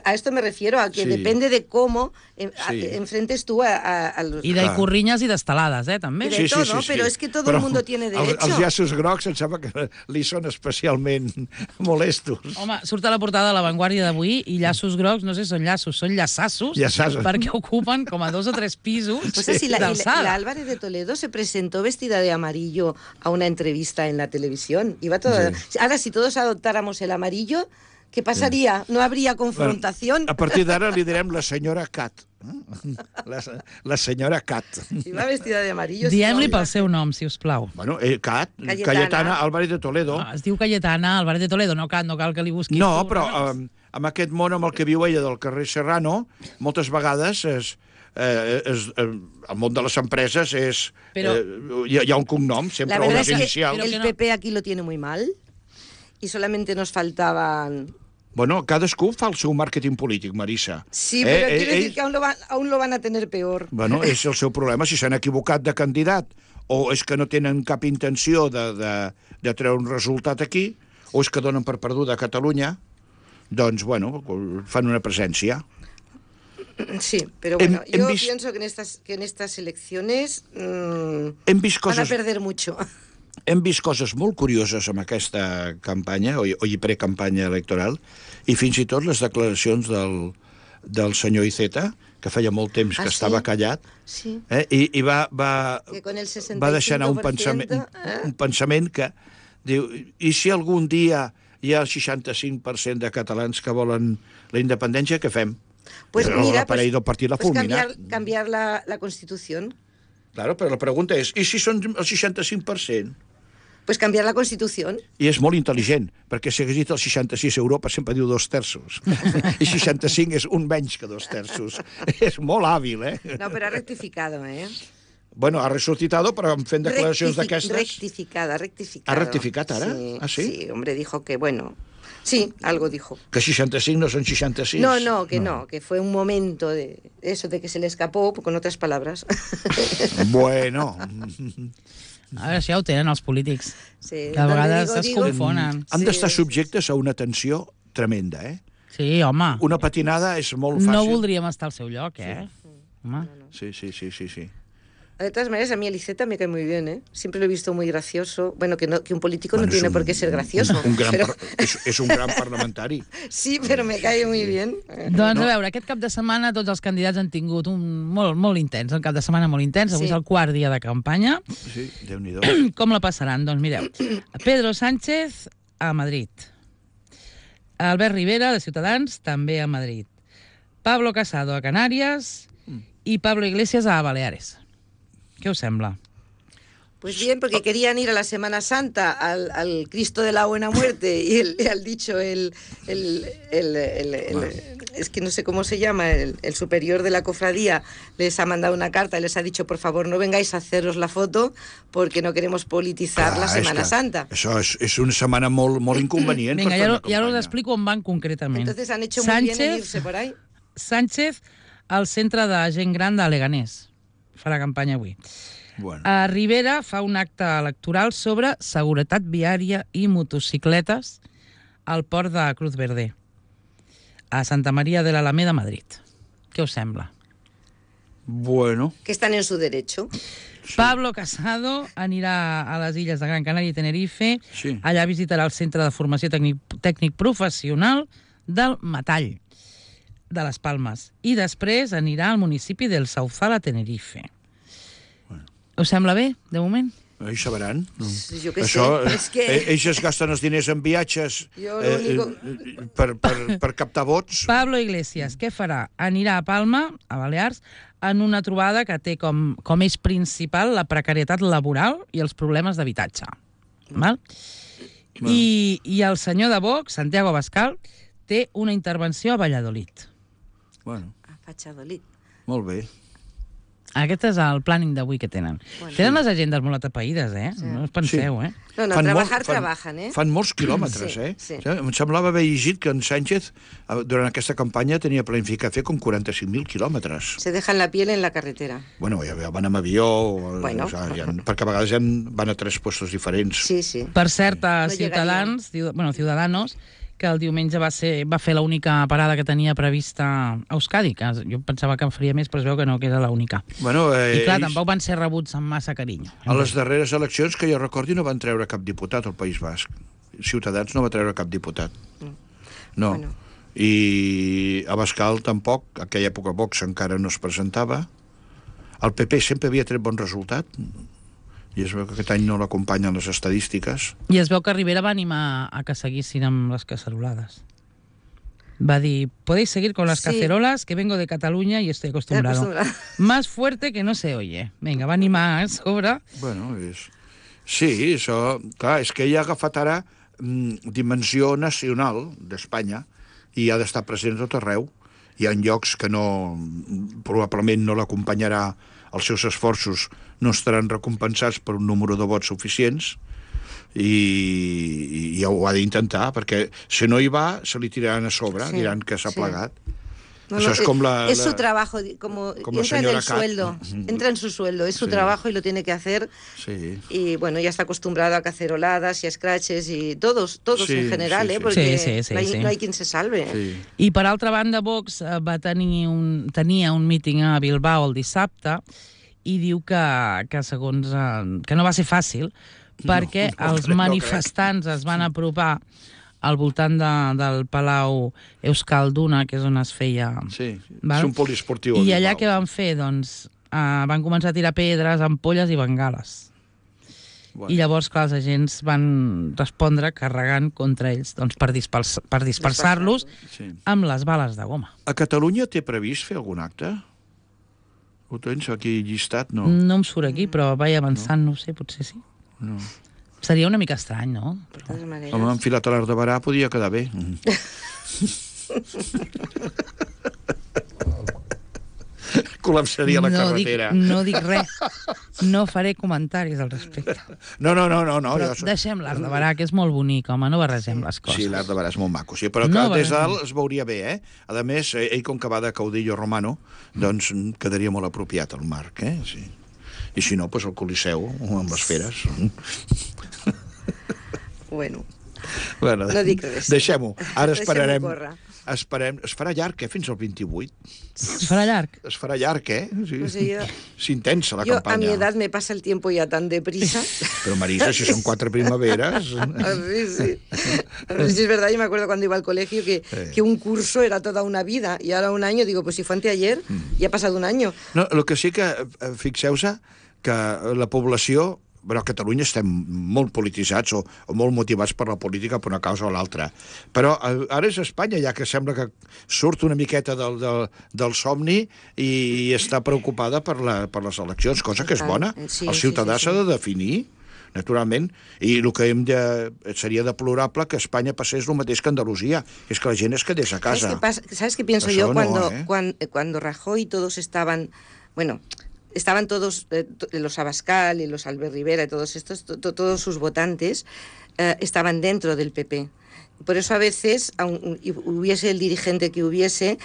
A esto me refiero, a que depende de cómo enfrentes tú a los... I d'icorrinyes i d'estelades, també. I de todo, però és que todo el mundo tiene derecho. Els llaços grocs em sembla que li són especialment molestos. Home, surt a la portada de La Vanguardia d'avui i llaços grocs, no sé, són llaços, són llaçassos, perquè ocupen com a 2 o 3 pisos d'alçada. La Álvarez de Toledo se presentó vestida de amarillo a una entrevista en la televisión. Iba toda... Ahora, si todos adoptáramos el amarillo, ¿qué pasaría? No habría confrontación. A partir d'ara li direm la senyora Cat. La senyora Cat. Iba vestida de amarillo. Diem-li pel seu nom, si us plau. Bueno, Cat, Cayetana Álvarez de Toledo. Es diu Cayetana Álvarez de Toledo, no cal que li busquis. No, però amb aquest món amb el que viu ella del carrer Serrano, moltes vegades el món de les empreses hi ha un cognom, sempre unes inicials. El PP aquí lo tiene muy mal. y solamente nos faltaban... Bueno, cadascú fa el seu màrqueting polític, Marisa. Sí, pero quiero decir que aún lo van a tener peor. Bueno, és el seu problema, si s'han equivocat de candidat, o és que no tenen cap intenció de treure un resultat aquí, o és que donen per perduda a Catalunya, doncs, bueno, fan una presència. Sí, pero bueno, yo pienso que en estas elecciones van a perder mucho. Hem vist coses molt curioses amb aquesta campanya, o precampanya electoral, i fins i tot les declaracions del senyor Iceta, que feia molt temps que estava callat, i va deixar anar un pensament que diu, i si algun dia hi ha el 65% de catalans que volen la independència, què fem? Pues mira, cambiar la Constitución. Claro, però la pregunta és, i si són el 65%? Pues cambiar la Constitución. I és molt intel·ligent, perquè si hagués dit el 66 a Europa sempre diu 2/3. I 65 és un menys que 2/3. És molt hàbil, eh? No, però ha rectificado, eh? Bueno, ha resucitado, però fent declaracions d'aquestes... Rectificado. ¿Ha rectificat ara? Sí, ¿Ah, sí? Sí, hombre, dijo que, bueno... Sí, algo dijo. ¿Que 65 no son 66? No, que fue un momento de eso, de que se le escapó, con otras palabras. Bueno... A veure, això ja ho tenen els polítics. Sí, que a vegades es confonen. Han d'estar subjectes a una tensió tremenda, eh? Sí, home. Una patinada és molt fàcil. No voldríem estar al seu lloc, eh? Sí. Home. Sí. De todas maneras, a mí el Iceta me cae muy bien, ¿eh? Siempre lo he visto muy gracioso. Bueno, que un político no tiene por qué ser gracioso. És un gran parlamentari. Sí, però me cae muy bien. Doncs a veure, aquest cap de setmana tots els candidats han tingut un molt intens, un cap de setmana molt intens. Avui és el quart dia de campanya. Sí, Déu-n'hi-do. Com la passaran? Doncs mireu, Pedro Sánchez a Madrid. Albert Rivera, de Ciutadans, també a Madrid. Pablo Casado a Canàries i Pablo Iglesias a Baleares. ¿Qué os sembla? Pues bien, porque querían ir a la Semana Santa al Cristo de la Buena Muerte y al dicho es que no sé cómo se llama, el superior de la cofradía les ha mandado una carta y les ha dicho, por favor, no vengáis a haceros la foto porque no queremos polititzar la Semana Santa. Això és una setmana molt inconvenient. Vinga, ja us explico on van concretament. Entonces han hecho muy bien en irse por ahí. Sánchez al centre de gent gran de Leganés. Farà campanya avui. Bueno. A Rivera fa un acte electoral sobre seguretat viària i motocicletes al port de Cruz Verde, a Santa María de l'Alameda, Madrid. Què us sembla? Bueno. Que están en su derecho. Sí. Pablo Casado anirà a les illes de Gran Canària i Tenerife. Sí. Allà visitarà el Centre de Formació Tècnic Professional del Metall de les Palmes, i després anirà al municipi del Sauzal a Tenerife. Bueno. Us sembla bé, de moment? Ells sabran. Jo què sé. És que... Ells es gasten els diners en viatges per captar vots. Pablo Iglesias, què farà? Anirà a Palma, a Balears, en una trobada que té com eix principal la precarietat laboral i els problemes d'habitatge. Val? I el senyor de Vox, Santiago Abascal, té una intervenció a Valladolid. Bueno. A Valladolid. Molt bé. Aquest és el planning d'avui que tenen. Bueno, tenen les agendes molt atapeïdes, eh? Sí. No us penseu, eh? No, trabajan, eh? Fan molts quilòmetres, eh? Sí. Em semblava haver llegit que en Sánchez, durant aquesta campanya, tenia planificat fer com 45.000 quilòmetres. Se dejan la piel en la carretera. Bueno, ja van amb avió, perquè a vegades ja van a 3 puestos diferents. Sí. Per cert, a Ciutadans, Ciudadanos, que el diumenge va fer l'única parada que tenia prevista a Euskadi, que jo pensava que en faria més, però es veu que no, que era l'única. Bueno, I clar, tampoc van ser rebuts amb massa carinyo. A les darreres eleccions, que jo recordi, no van treure cap diputat al País Basc. Ciutadans no va treure cap diputat. No. Bueno. I Abascal tampoc, a aquella època Vox encara no es presentava. El PP sempre havia tret bon resultat, i es veu que aquest any no l'acompanyen les estadístiques. I es veu que Rivera va animar a que seguissin amb les cacerolades. Va dir, podéis seguir con las cacerolas, que vengo de Cataluña y estoy acostumbrado. Más fuerte que no se oye. Vinga, va animar a sobre. Bueno, sí, això... Clar, és que ella ha agafat ara dimensió nacional d'Espanya i ha d'estar present a tot arreu. Hi ha llocs que probablement no l'acompanyarà, els seus esforços no estaran recompensats per un número de vots suficients, i ho ha d'intentar, perquè si no hi va, se li tiraran a sobre, diran que s'ha plegat. No, Eso es como es su trabajo, como entra en el sueldo, entra en su sueldo, es su trabajo y lo tiene que hacer. Sí. Y bueno, ya está acostumbrado a caceroladas y a scratches y todos en general, porque no hay quien se salve. Sí. I per altra banda, Vox tenia un míting a Bilbao el dissabte i diu que segons que no va ser fàcil perquè els manifestants es van apropar al voltant del Palau Euskalduna, que és on es feia... Sí, és un poliesportiu. I allà què van fer? Doncs van començar a tirar pedres, ampolles i bengales. Bueno. I llavors, clar, els agents van respondre carregant contra ells per dispersar-los amb les bales de goma. A Catalunya té previst fer algun acte? Ho tens aquí llistat? No. No em surt aquí, però vaig avançant, no sé, potser sí. No. Seria una mica estrany, no? Home, enfilat a l'art de Barà podia quedar bé. Col·lapsaria la carretera. No dic res. No faré comentaris al respecte. No. Però deixem l'art de Barà, que és molt bonic, home, no barregem les coses. Sí, l'art de Barà és molt maco, sí, però que des de dalt es veuria bé, eh? A més, ell com que va de caudillo romano, doncs quedaria molt apropiat el marc, eh? Sí. I si no, doncs el Coliseu, amb les feres. Bueno, no dic res. Deixem-ho. Ara esperarem. Es farà llarg, Fins al 28. Es farà llarg? Es farà llarg, Sí. Pues es intensa la campaña. campaña. A mi edat me pasa el tiempo ya tan deprisa. Pero Marisa, si son 4 primaveras... Sí. Sí, es verdad, yo me acuerdo cuando iba al colegio que un curso era toda una vida, y ahora un año, digo, pues si fue anteayer, ya ha pasado un año. No, el que sí que, fixeu-se, que la població... Bueno, a Catalunya estem molt polititzats o molt motivats per la política per una causa o l'altra. Però ara és Espanya, ja que sembla que surt una miqueta del somni i està preocupada per les eleccions, cosa que és bona. El ciutadà s'ha de definir, naturalment, i el que seria deplorable que Espanya passés el mateix que Andalusia, és que la gent es quedés a casa. ¿Sabes qué pienso yo? Cuando Rajoy todos estaban... Bueno... Estaban todos, los Abascal y los Albert Rivera y todos estos, todos sus votantes estaban dentro del PP. Por eso a veces, hubiese el dirigente que hubiese,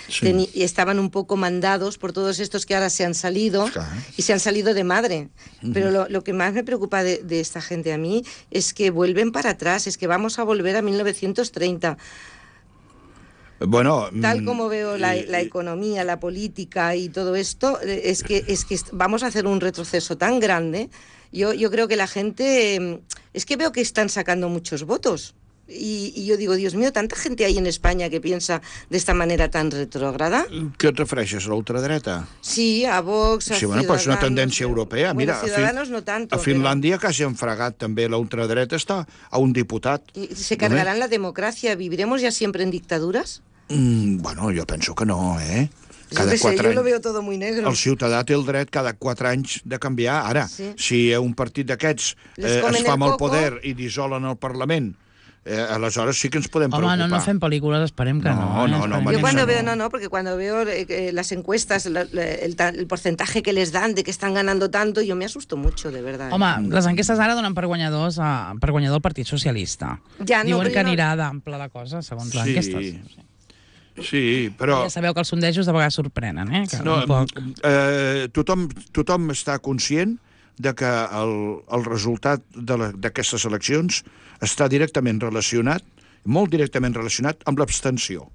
estaban un poco mandados por todos estos que ahora se han salido y se han salido de madre. Pero lo que más me preocupa de esta gente a mí es que vuelven para atrás, es que vamos a volver a 1930. Bueno, tal como veo la economía, la política y todo esto, es que vamos a hacer un retroceso tan grande. Yo creo que la gente... Es que veo que están sacando muchos votos. Y yo digo, Dios mío, tanta gente hay en España que piensa de esta manera tan retrógrada. Què et refereixes, a l'ultradreta? Sí, a Vox, a Ciudadanos. Bueno, pues és una tendència europea. Bueno, mira, Ciudadanos no tanto. A Finlàndia quasi han fregat també la ultradreta, està a un diputat. ¿Y se cargarán la democracia? ¿Viviremos ya siempre en dictaduras? Bueno, jo penso que no, Cada 4 anys. Jo lo veo todo muy negro. El ciutadà té el dret cada 4 anys de canviar. Ara, si un partit d'aquests es fa amb el poder i dissolen el Parlament, aleshores sí que ens podem preocupar. Home, no fem pel·lícules, esperem que no. Yo cuando veo, porque cuando veo las encuestas, el porcentaje que les dan de que están ganando tanto, yo me asusto mucho, de verdad. Home, les enquestes ara donen per guanyador el Partit Socialista. Diuen que anirà d'ample la cosa, segons les enquestes. Sí, però... Ja sabeu que els sondejos de vegades sorprenen, Tothom està conscient de que el resultat d'aquestes eleccions està directament relacionat, molt directament relacionat, amb l'abstenció.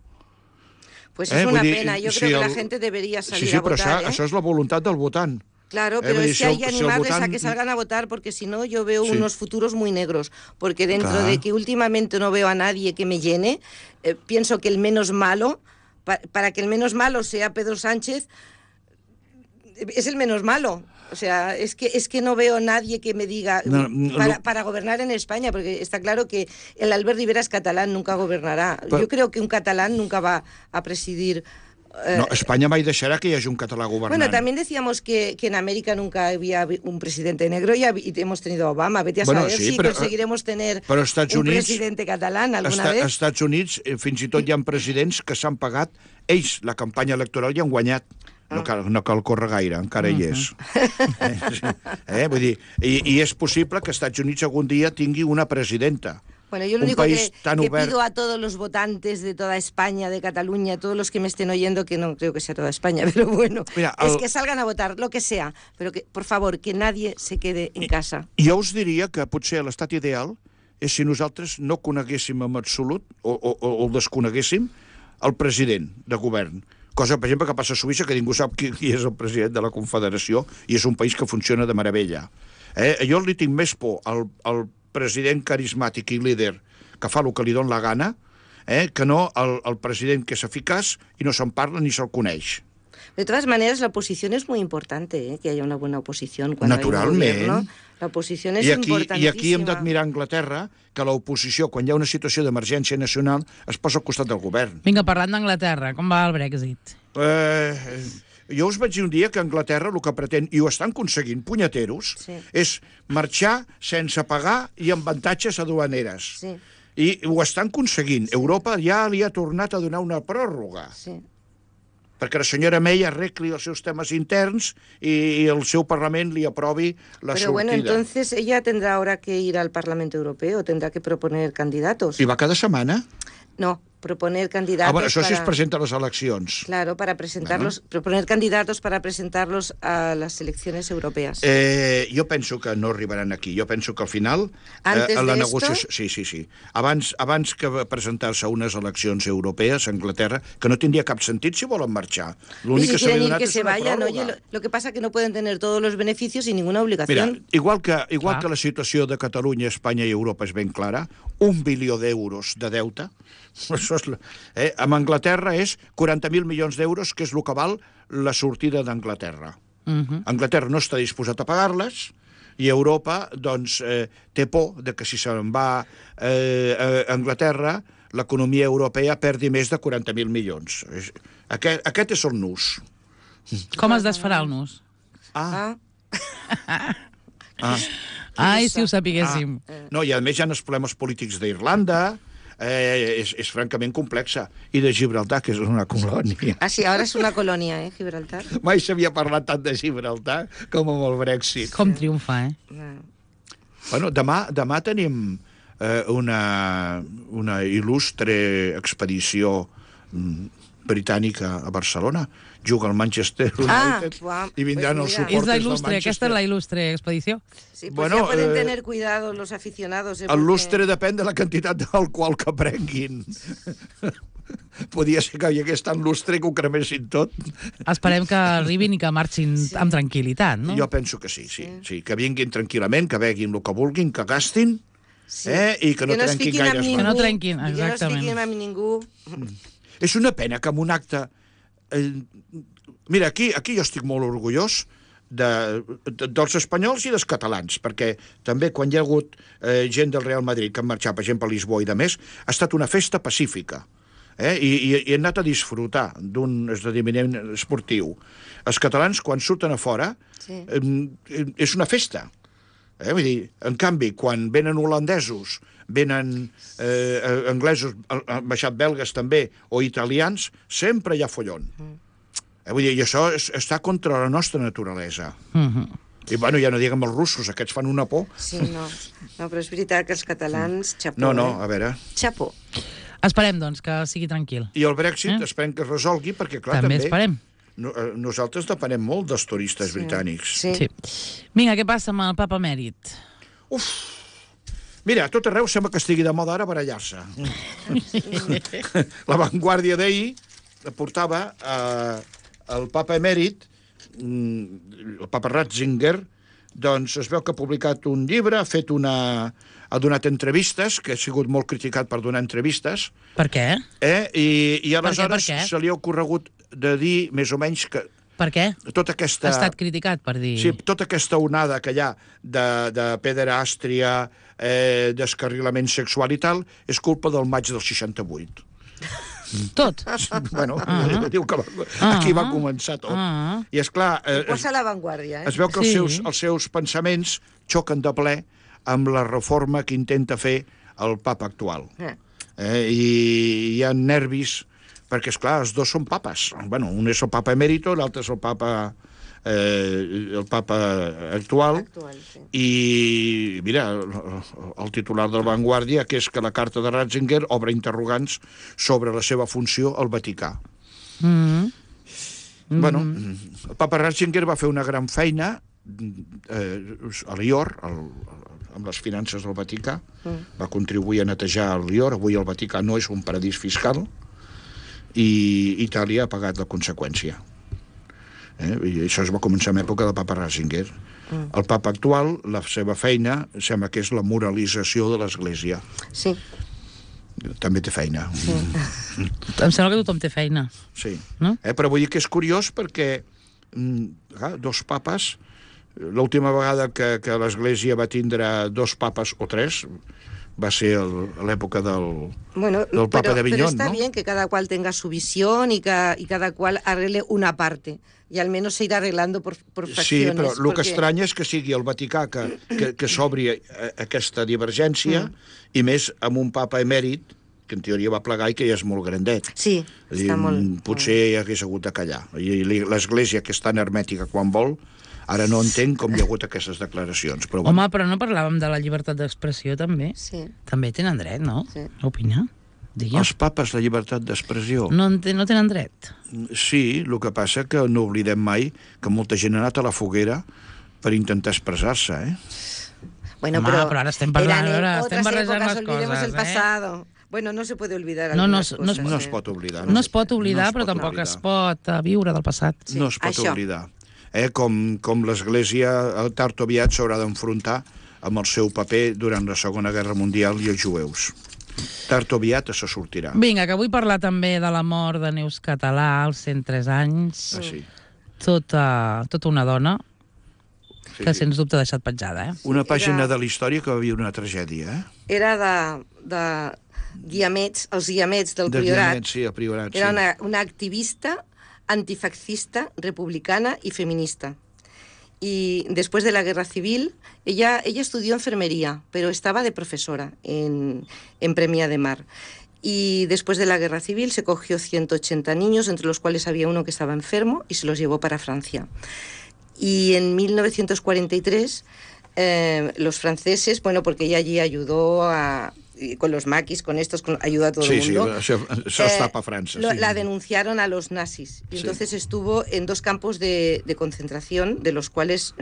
Pues es una pena, yo creo que la gente debería salir a votar. Sí, però això és la voluntat del votant. Claro, pero es que hay que animarles a que salgan a votar, porque si no yo veo unos futuros muy negros, porque dentro de que últimamente no veo a nadie que me llene, pienso que el menos malo, para que el menos malo sea Pedro Sánchez, es el menos malo. O sea, es que no veo a nadie que me diga para gobernar en España, porque está claro que el Albert Rivera es catalán, nunca gobernará. Yo creo que un catalán nunca va a presidir... No, España mai deixarà que hi hagi un català governant. Bueno, también decíamos que en América nunca había un presidente negro y hemos tenido a Obama. Vete a saber si conseguiremos tener un presidente catalán alguna vez. Als Estats Units fins i tot hi ha presidents que s'han pagat ells la campanya electoral i han guanyat. No cal córrer gaire, encara hi és. Vull dir, i és possible que Estats Units algun dia tingui una presidenta. Bueno, yo lo único que pido a todos los votantes de toda España, de Cataluña, todos los que me estén oyendo, que no creo que sea toda España, pero bueno, es que salgan a votar, lo que sea, pero que, por favor, que nadie se quede en casa. Jo us diria que potser l'estat ideal és si nosaltres no coneguéssim en absolut, o el desconeguéssim, el president de govern. Cosa, per exemple, que passa a Suïssa, que ningú sap qui és el president de la Confederació, i és un país que funciona de meravella. Jo li tinc més por al president carismàtic i líder que fa el que li dona la gana, que no el president que és eficaç i no se'n parla ni se'l coneix. De todas maneras, la oposición es muy importante, que haya una buena oposición cuando Naturalment. hay un gobierno. La oposición es importantísima. I aquí hem d'admirar Anglaterra, que l'oposició, quan hi ha una situació d'emergència nacional, es posa al costat del govern. Vinga, parlant d'Anglaterra, com va el Brexit? Jo us vaig dir un dia que Anglaterra el que pretén, i ho estan aconseguint, punyeteros, és marxar sense pagar i amb avantatges aduaneres. Sí. I ho estan aconseguint. Europa ja li ha tornat a donar una pròrroga. Sí. Perquè la senyora May arregli els seus temes interns i el seu Parlament li aprovi la sortida. Pero bueno, entonces ella tendrá ahora que ir al Parlamento Europeo, tendrá que proponer candidatos. I va cada setmana? No, proponer candidatos bueno, això sí es presenta a les eleccions. Claro, para presentarlos, proponer candidatos para presentarlos a las elecciones europeas. Jo penso que no arribaran aquí. Jo penso que al final... Antes la de negociació... esto? Sí. Abans que presentar-se a unes eleccions europees a Anglaterra, que no tindria cap sentit si volen marxar. L'únic que s'ha donat és una pròrroga. Oye, lo que pasa que no pueden tener todos los beneficios sin ninguna obligación. Mira, igual que la situació de Catalunya, Espanya i Europa és ben clara, 1 bilió d'euros de deute, això és, amb Anglaterra és 40.000 milions d'euros, que és el que val la sortida d'Anglaterra. Anglaterra no està disposat a pagar-les, i Europa doncs, té por de que si se'n va a Anglaterra, l'economia europea perdi més de 40.000 milions. Aquest és el nus. Com es desfarà el nus? Ai, si ho sapiguéssim. No, i a més hi ha els problemes polítics d'Irlanda, és francament complexa. I de Gibraltar, que és una colònia. Ah, sí, ara és una colònia, Gibraltar. Mai s'havia parlat tant de Gibraltar com amb el Brexit. Com triomfa, Bueno, demà tenim una il·lustre expedició britànica a Barcelona. Juga el Manchester United i vindran els suporters del Manchester. Aquesta és la il·lustre expedició? Sí, pues ya pueden tener cuidado los aficionados. El lustre depèn de la quantitat d'alcohol que prenguin. Podia ser que hi hagués tant lustre que ho cremessin tot. Esperem que arribin i que marxin amb tranquil·litat, no? Jo penso que sí. Que vinguin tranquil·lament, que beguin el que vulguin, que gastin, i que no trenquin gaires Que no trenquin, exactament. Que no es fiquin amb ningú. És una pena que en un acte... Mira, aquí jo estic molt orgullós dels espanyols i dels catalans, perquè també quan hi ha hagut gent del Real Madrid que han marxat, per exemple, a Lisboa i de més, ha estat una festa pacífica. I he anat a disfrutar d'un esdeveniment esportiu. Els catalans, quan surten a fora, és una festa. Vull dir, en canvi, quan venen holandesos, venen anglesos, han baixat belgues també, o italians, sempre hi ha follon. Vull dir, i això està contra la nostra naturalesa. I, bueno, ja no diguem els russos, aquests fan una por. Sí, no, però és veritat que els catalans, xapó. No, a veure... Xapó. Esperem, doncs, que sigui tranquil. I el Brexit esperem que es resolgui, perquè, clar, també esperem. Nosaltres depenem molt dels turistes britànics. Sí. Vinga, què passa amb el papa emèrit? Mira, a tot arreu sembla que estigui de moda ara barallar-se. La Vanguardia d'ahir portava el papa emèrit, el papa Ratzinger, doncs es veu que ha publicat un llibre, ha donat entrevistes, que ha sigut molt criticat per donar entrevistes. Per què? I aleshores se li ha ocorregut de dir més o menys que... Per què? Tota aquesta... Ha estat criticat per dir... Sí, tota aquesta onada que hi ha de pederàstria, descarrilament sexual i tal, és culpa del maig del 68. Tot? Bueno, diu que aquí va començar tot. I esclar... Posa la Vanguardia, Es veu que els seus pensaments xoquen de ple amb la reforma que intenta fer el papa actual. I hi ha nervis perquè, esclar, els dos són papes. Bueno, un és el papa emèrito, l'altre és el papa actual, sí. I mira, el titular del Vanguardia, que és que la carta de Ratzinger obre interrogants sobre la seva funció al Vaticà. Bueno, el papa Ratzinger va fer una gran feina a Lior, amb les finances del Vaticà, va contribuir a netejar el Lior. Avui el Vaticà no és un paradís fiscal i Itàlia ha pagat la conseqüència. I això es va començar en època del papa Ratzinger. El papa actual, la seva feina, sembla que és la moralització de l'Església. Sí. També té feina. Sí. Em sembla que tothom té feina. Sí. No? Però vull dir que és curiós perquè dos papes, l'última vegada que l'Església va tindre dos papes o tres va ser a l'època del papa d'Avinyón, pero está bien que cada cual tenga su visión y cada cual arregle una parte. Y al menos se irá arreglando por fracciones. Sí, però el que estranya és que sigui el Vaticà que s'obri aquesta divergència, i més amb un papa emèrit, que en teoria va plegar i que ja és molt grandet. Sí, està molt... Potser hagués hagut de callar. I l'Església, que és tan hermètica quan vol, ara no entenc com hi ha hagut aquestes declaracions. Però Home, però no parlàvem de la llibertat d'expressió, també? Sí. També tenen dret, no? Sí. A opinar? Digue'm. Els papes, la llibertat d'expressió. No tenen dret? Sí, el que passa que no oblidem mai que molta gent ha anat a la foguera per intentar expressar-se, Bueno, Home, però ara estem parlant, estem barrejant les olvidemos el pasado. Bueno, no se puede olvidar algunas cosas. No es pot oblidar. No es pot oblidar, però tampoc es pot viure del passat. Sí, no es pot això. oblidar. Com l'Església tard o aviat s'haurà d'enfrontar amb el seu paper durant la Segona Guerra Mundial i els jueus. Tard o aviat se sortirà. Vinga, que vull parlar també de la mort de Neus Català als 103 anys. Sí. Tota una dona que sens dubte ha deixat petjada, Una pàgina de la història que va viure una tragèdia, Era de guiamets, els guiamets del Priorat. Sí, el Priorat, sí. Era una activista antifascista, republicana y feminista. Y después de la guerra civil, ella estudió enfermería, pero estaba de profesora en Premià de Mar. Y después de la guerra civil se cogió 180 niños, entre los cuales había uno que estaba enfermo, y se los llevó para Francia. Y en 1943 los franceses, bueno, porque ella allí ayudó con los maquis, con estos, ayudó a todo el mundo. Sí, això està a França. La denunciaron a los nazis. Y entonces estuvo en 2 campos de concentración, de los cuales...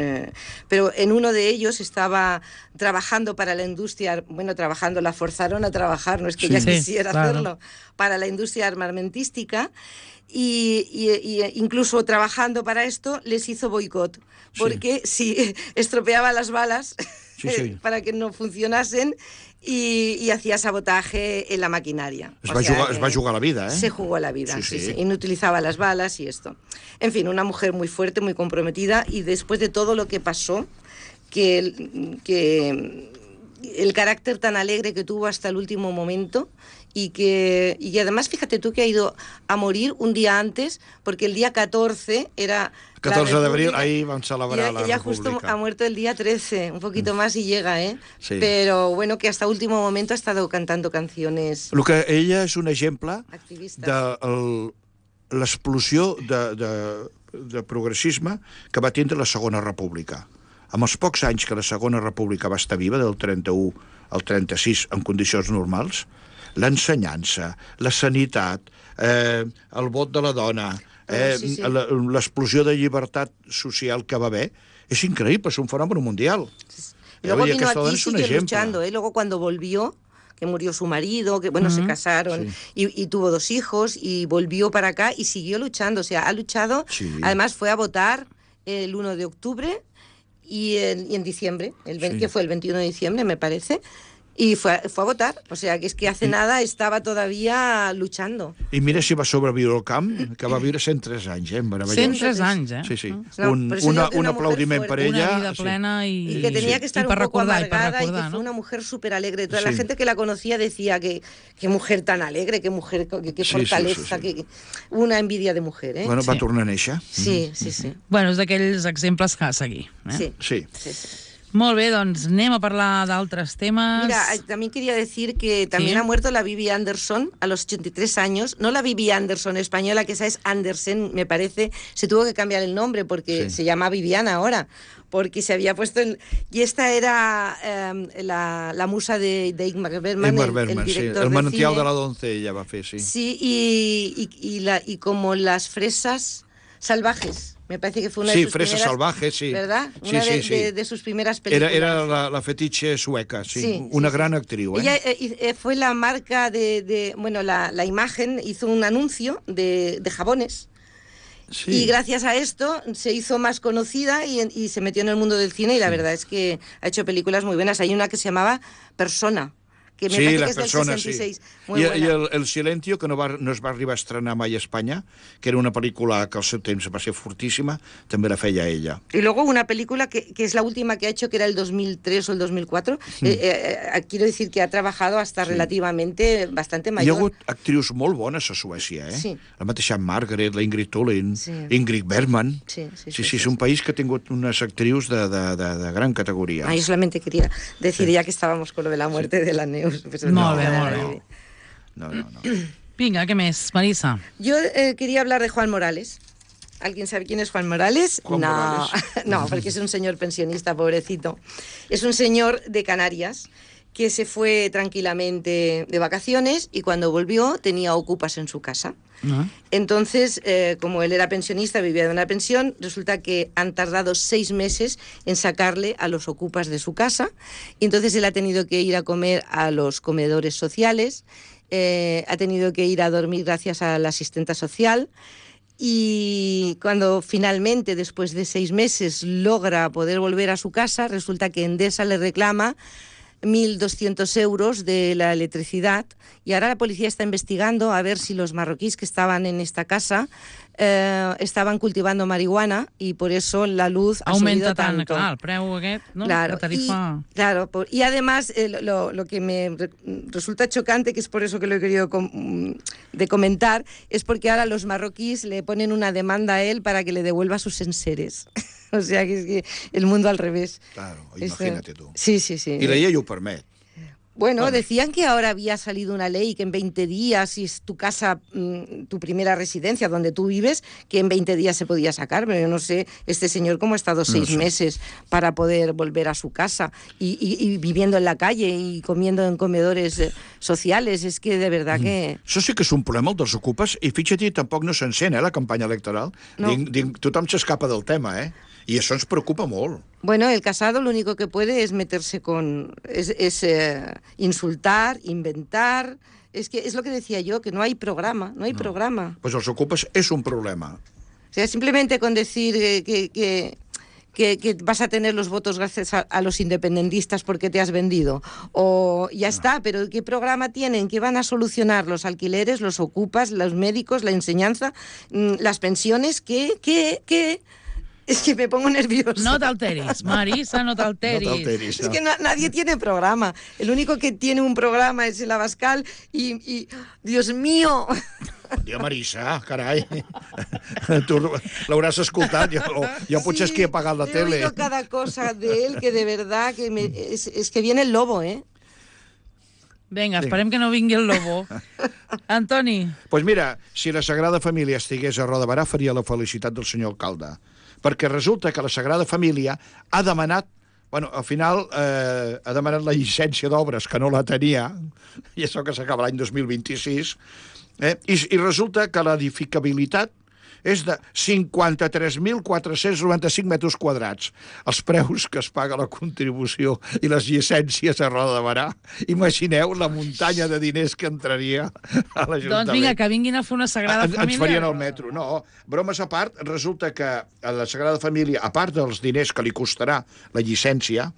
pero en uno de ellos estaba trabajando para la industria... Bueno, trabajando, la forzaron a trabajar, no es que ella quisiera hacerlo, para la industria armamentística. Y incluso trabajando para esto les hizo boicot, porque si estropeaba las balas para que no funcionasen y hacía sabotaje en la maquinaria. Es va jugar la vida, Se jugó la vida, sí. Y no utilizaba las balas y esto. En fin, una mujer muy fuerte, muy comprometida, y después de todo lo que pasó, que el carácter tan alegre que tuvo hasta el último momento, y además fíjate tú que ha ido a morir un día antes, porque el día 14 era... 14 de abril, ahí van a celebrar la ella República. Justo ha muerto el día 13, un poquito más y llega, Sí. Pero bueno, que hasta último momento ha estado cantando canciones... Ella és un exemple activistes. de l'explosió de progressisme que va tindre la Segona República. Amb els pocs anys que la Segona República va estar viva, del 31 al 36, en condicions normals, l'ensenyança, la sanitat, el vot de la dona, l'explosió de llibertat social que va haver, és increïble, és un fenòmen mundial. Luego vino aquí y sigue luchando, Luego cuando volvió, que murió su marido, que bueno, se casaron y tuvo 2 hijos y volvió para acá y siguió luchando, o sea, ha luchado, además fue a votar el 1 de octubre y en diciembre, que fue el 21 de diciembre, me parece, y fue a votar, o sea, que es que hace nada estaba todavía luchando. I mira si va sobreviure al camp, que va viure 103 anys, meravellós. 103 anys, Sí. Un aplaudiment per ella. Una vida plena y que tenía que estar un poco amargada y que fue una mujer súper alegre. Toda la gente que la conocía decía que qué mujer tan alegre, qué mujer, qué fortaleza, que una envidia de mujer, Bueno, va tornar a néixer. Sí. Bueno, és d'aquells exemples que a seguir. Sí. Molt bé, doncs anem a parlar d'altres temes. Mira, también quería decir que también ha muerto la Bibi Andersson a los 83 años. No la Bibi Andersson española, que esa es Andersen, me parece. Se tuvo que cambiar el nombre porque se llama Viviana ahora, porque se había puesto... Y esta era la musa de Ingmar Bergman, el director el manantial de cine. de la doncella va fer, sí. Sí, y como las fresas salvajes. Me parece que fue una de sus Fresas primeras... Salvajes, sí. ¿Verdad? Sí, Una sí. de sus primeras películas. Era la fetiche sueca, sí. Una gran actriu, Ella fue la marca bueno, la imagen, hizo un anuncio de jabones. Sí. Y gracias a esto se hizo más conocida y se metió en el mundo del cine y la verdad es que ha hecho películas muy buenas. Hay una que se llamaba Persona, que me parece que es del 66. Muy buena. I el Silencio, que no es va arribar a estrenar mai a Espanya, que era una pel·lícula que al seu temps va ser fortíssima, també la feia ella. Y luego una película que es la última que ha hecho, que era el 2003 o el 2004. Quiero decir que ha trabajado hasta relativamente bastante mayor. Hi ha hagut actrius molt bones a Suècia, eh? Sí. La mateixa Margaret, la Ingrid Thulin, Ingrid Bergman. Sí, és un país que ha tingut unes actrius de gran categoria. Yo solamente quería decir, ya que estábamos con lo de la muerte de la Neus. Molt bé. No. Vinga, ¿qué más, Marisa? Yo quería hablar de Juan Morales. ¿Alguien sabe quién es Juan Morales? Morales. No, porque es un señor pensionista, pobrecito. Es un señor de Canarias que se fue tranquilamente de vacaciones y cuando volvió tenía ocupas en su casa. Entonces, como él era pensionista, vivía de una pensión, resulta que han tardado 6 meses en sacarle a los ocupas de su casa, y entonces él ha tenido que ir a comer a los comedores sociales, ha tenido que ir a dormir gracias a la asistenta social, y cuando finalmente, después de 6 meses, logra poder volver a su casa, resulta que Endesa le reclama 1.200 euros de la electricidad y ahora la policía está investigando a ver si los marroquíes que estaban en esta casa estaban cultivando marihuana y por eso la luz ha subido tanto. Clar, el preu aquest, no? Claro, la tarifa... y además lo que me resulta chocante, que es por eso que lo he querido comentar, es porque ahora los marroquíes le ponen una demanda a él para que le devuelva sus enseres. O sea, que es que el mundo al revés. Claro, imagínate tú. Sí. Y la llei ho permet. Bueno, decían que ahora había salido una ley que en 20 días, si es tu casa, tu primera residencia donde tú vives, que en 20 días se podía sacar, pero yo no sé este señor cómo ha estado 6 meses para poder volver a su casa y viviendo en la calle y comiendo en comedores sociales. Es que de verdad que... Això sí que és un problema, el dels ocupes, i fixa't, tampoc no s'encén, la campanya electoral. No. Tothom s'escapa del tema, I això ens preocupa molt. Bueno, el casado lo único que puede es meterse es insultar, inventar. Es que es lo que decía yo, que no hay programa, programa. Pues els ocupes és un problema. O sea, simplemente con decir que vas a tener los votos gracias a los independentistas porque te has vendido. O ya está, pero ¿qué programa tienen? ¿Qué van a solucionar? ¿Los alquileres, los ocupas, los médicos, la enseñanza, las pensiones? ¿Qué? Es que me pongo nerviosa. No t'alteris, Marisa, no t'alteris. Es que nadie tiene programa. El único que tiene un programa es el Abascal y Dios mío... Dios, Marisa, carai. Tu l'hauràs escoltat. Jo potser és qui he pagat la tele. He oído cada cosa de él que de verdad que es que viene el lobo, Vinga, esperem que no vingui el lobo. Antoni. Pues mira, si la Sagrada Família estigués a Roda Barà, faria la felicitat del senyor alcalde. Perquè resulta que la Sagrada Família ha demanat, al final ha demanat la llicència d'obres, que no la tenia, i això que s'acaba l'any 2026, i resulta que l'edificabilitat és de 53.495 metres quadrats. Els preus que es paga la contribució i les llicències a Roda de Barà. Imagineu la muntanya de diners que entraria a l'Ajuntament. Doncs vinga, que vinguin a fer una Sagrada Família. Ens farien el metro. No, bromes a part, resulta que a la Sagrada Família, a part dels diners que li costarà la llicència,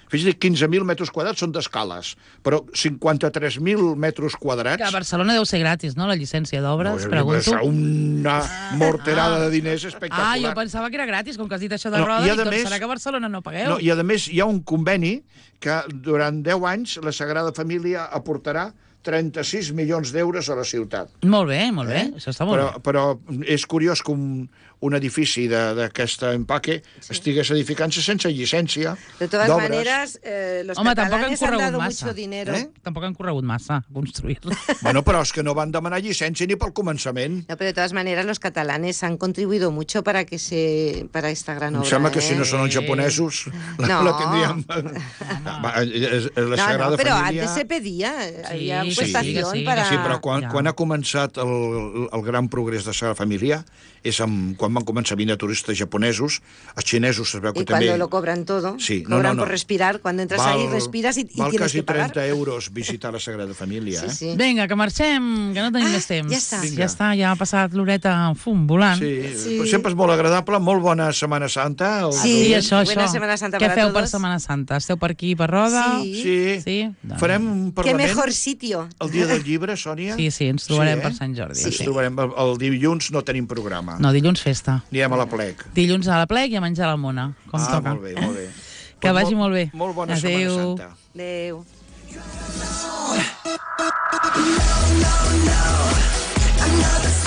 fixa't, 15.000 metres quadrats són d'escales, però 53.000 metres quadrats... Que a Barcelona deu ser gratis, no?, la llicència d'obres, pregunto. Una morterada de diners espectacular. Jo pensava que era gratis, com que has dit això de Roda, i doncs serà que a Barcelona no pagueu. No, i a més hi ha un conveni que durant 10 anys la Sagrada Família aportarà 36 milions d'euros a la ciutat. Molt bé, això està molt bé. Però és curiós que un edifici d'aquest empaque estigués edificant-se sense llicència d'obres. De todas maneras, los catalanes han dado mucho dinero. Tampoc han corregut massa a construir-lo. Bueno, però és que no van demanar llicència ni pel començament. No, pero de todas maneras los catalanes han contribuido mucho para esta gran obra. Em sembla que si no són els japonesos la tindríem... La Sagrada pero Família... antes se pedía, había prestación sí, para... Sí, però quan ha començat el gran progrés de la Sagrada Família és quan van començar a vindre turistes japonesos, els xinesos es veu que y també... cuando lo cobran todo, sí, cobran por respirar, cuando entras ahí respiras y tienes que pagar. Val quasi 30 euros visitar la Sagrada Família, Sí, sí. Vinga, que marxem, que no tenim més temps. Ja està. Ja està, ja ha passat l'horeta volant. Sí, sempre és molt agradable, molt bona Setmana Santa. Sí, això. Buena Semana Santa Què para feu todos. per Setmana Santa? Esteu per aquí, per Roda? Sí. Doncs. Farem un Qué parlament mejor sitio. el dia del llibre, Sònia. Sí, ens trobarem per Sant Jordi. Ens trobarem. El dilluns no tenim programa. No, dilluns festa. Anirem a la plec. Dilluns a la plec i a menjar a la mona, com toca. Molt bé, molt bé. Que vagi molt bé. Molt bona Setmana Santa. Adéu. No, I'm not the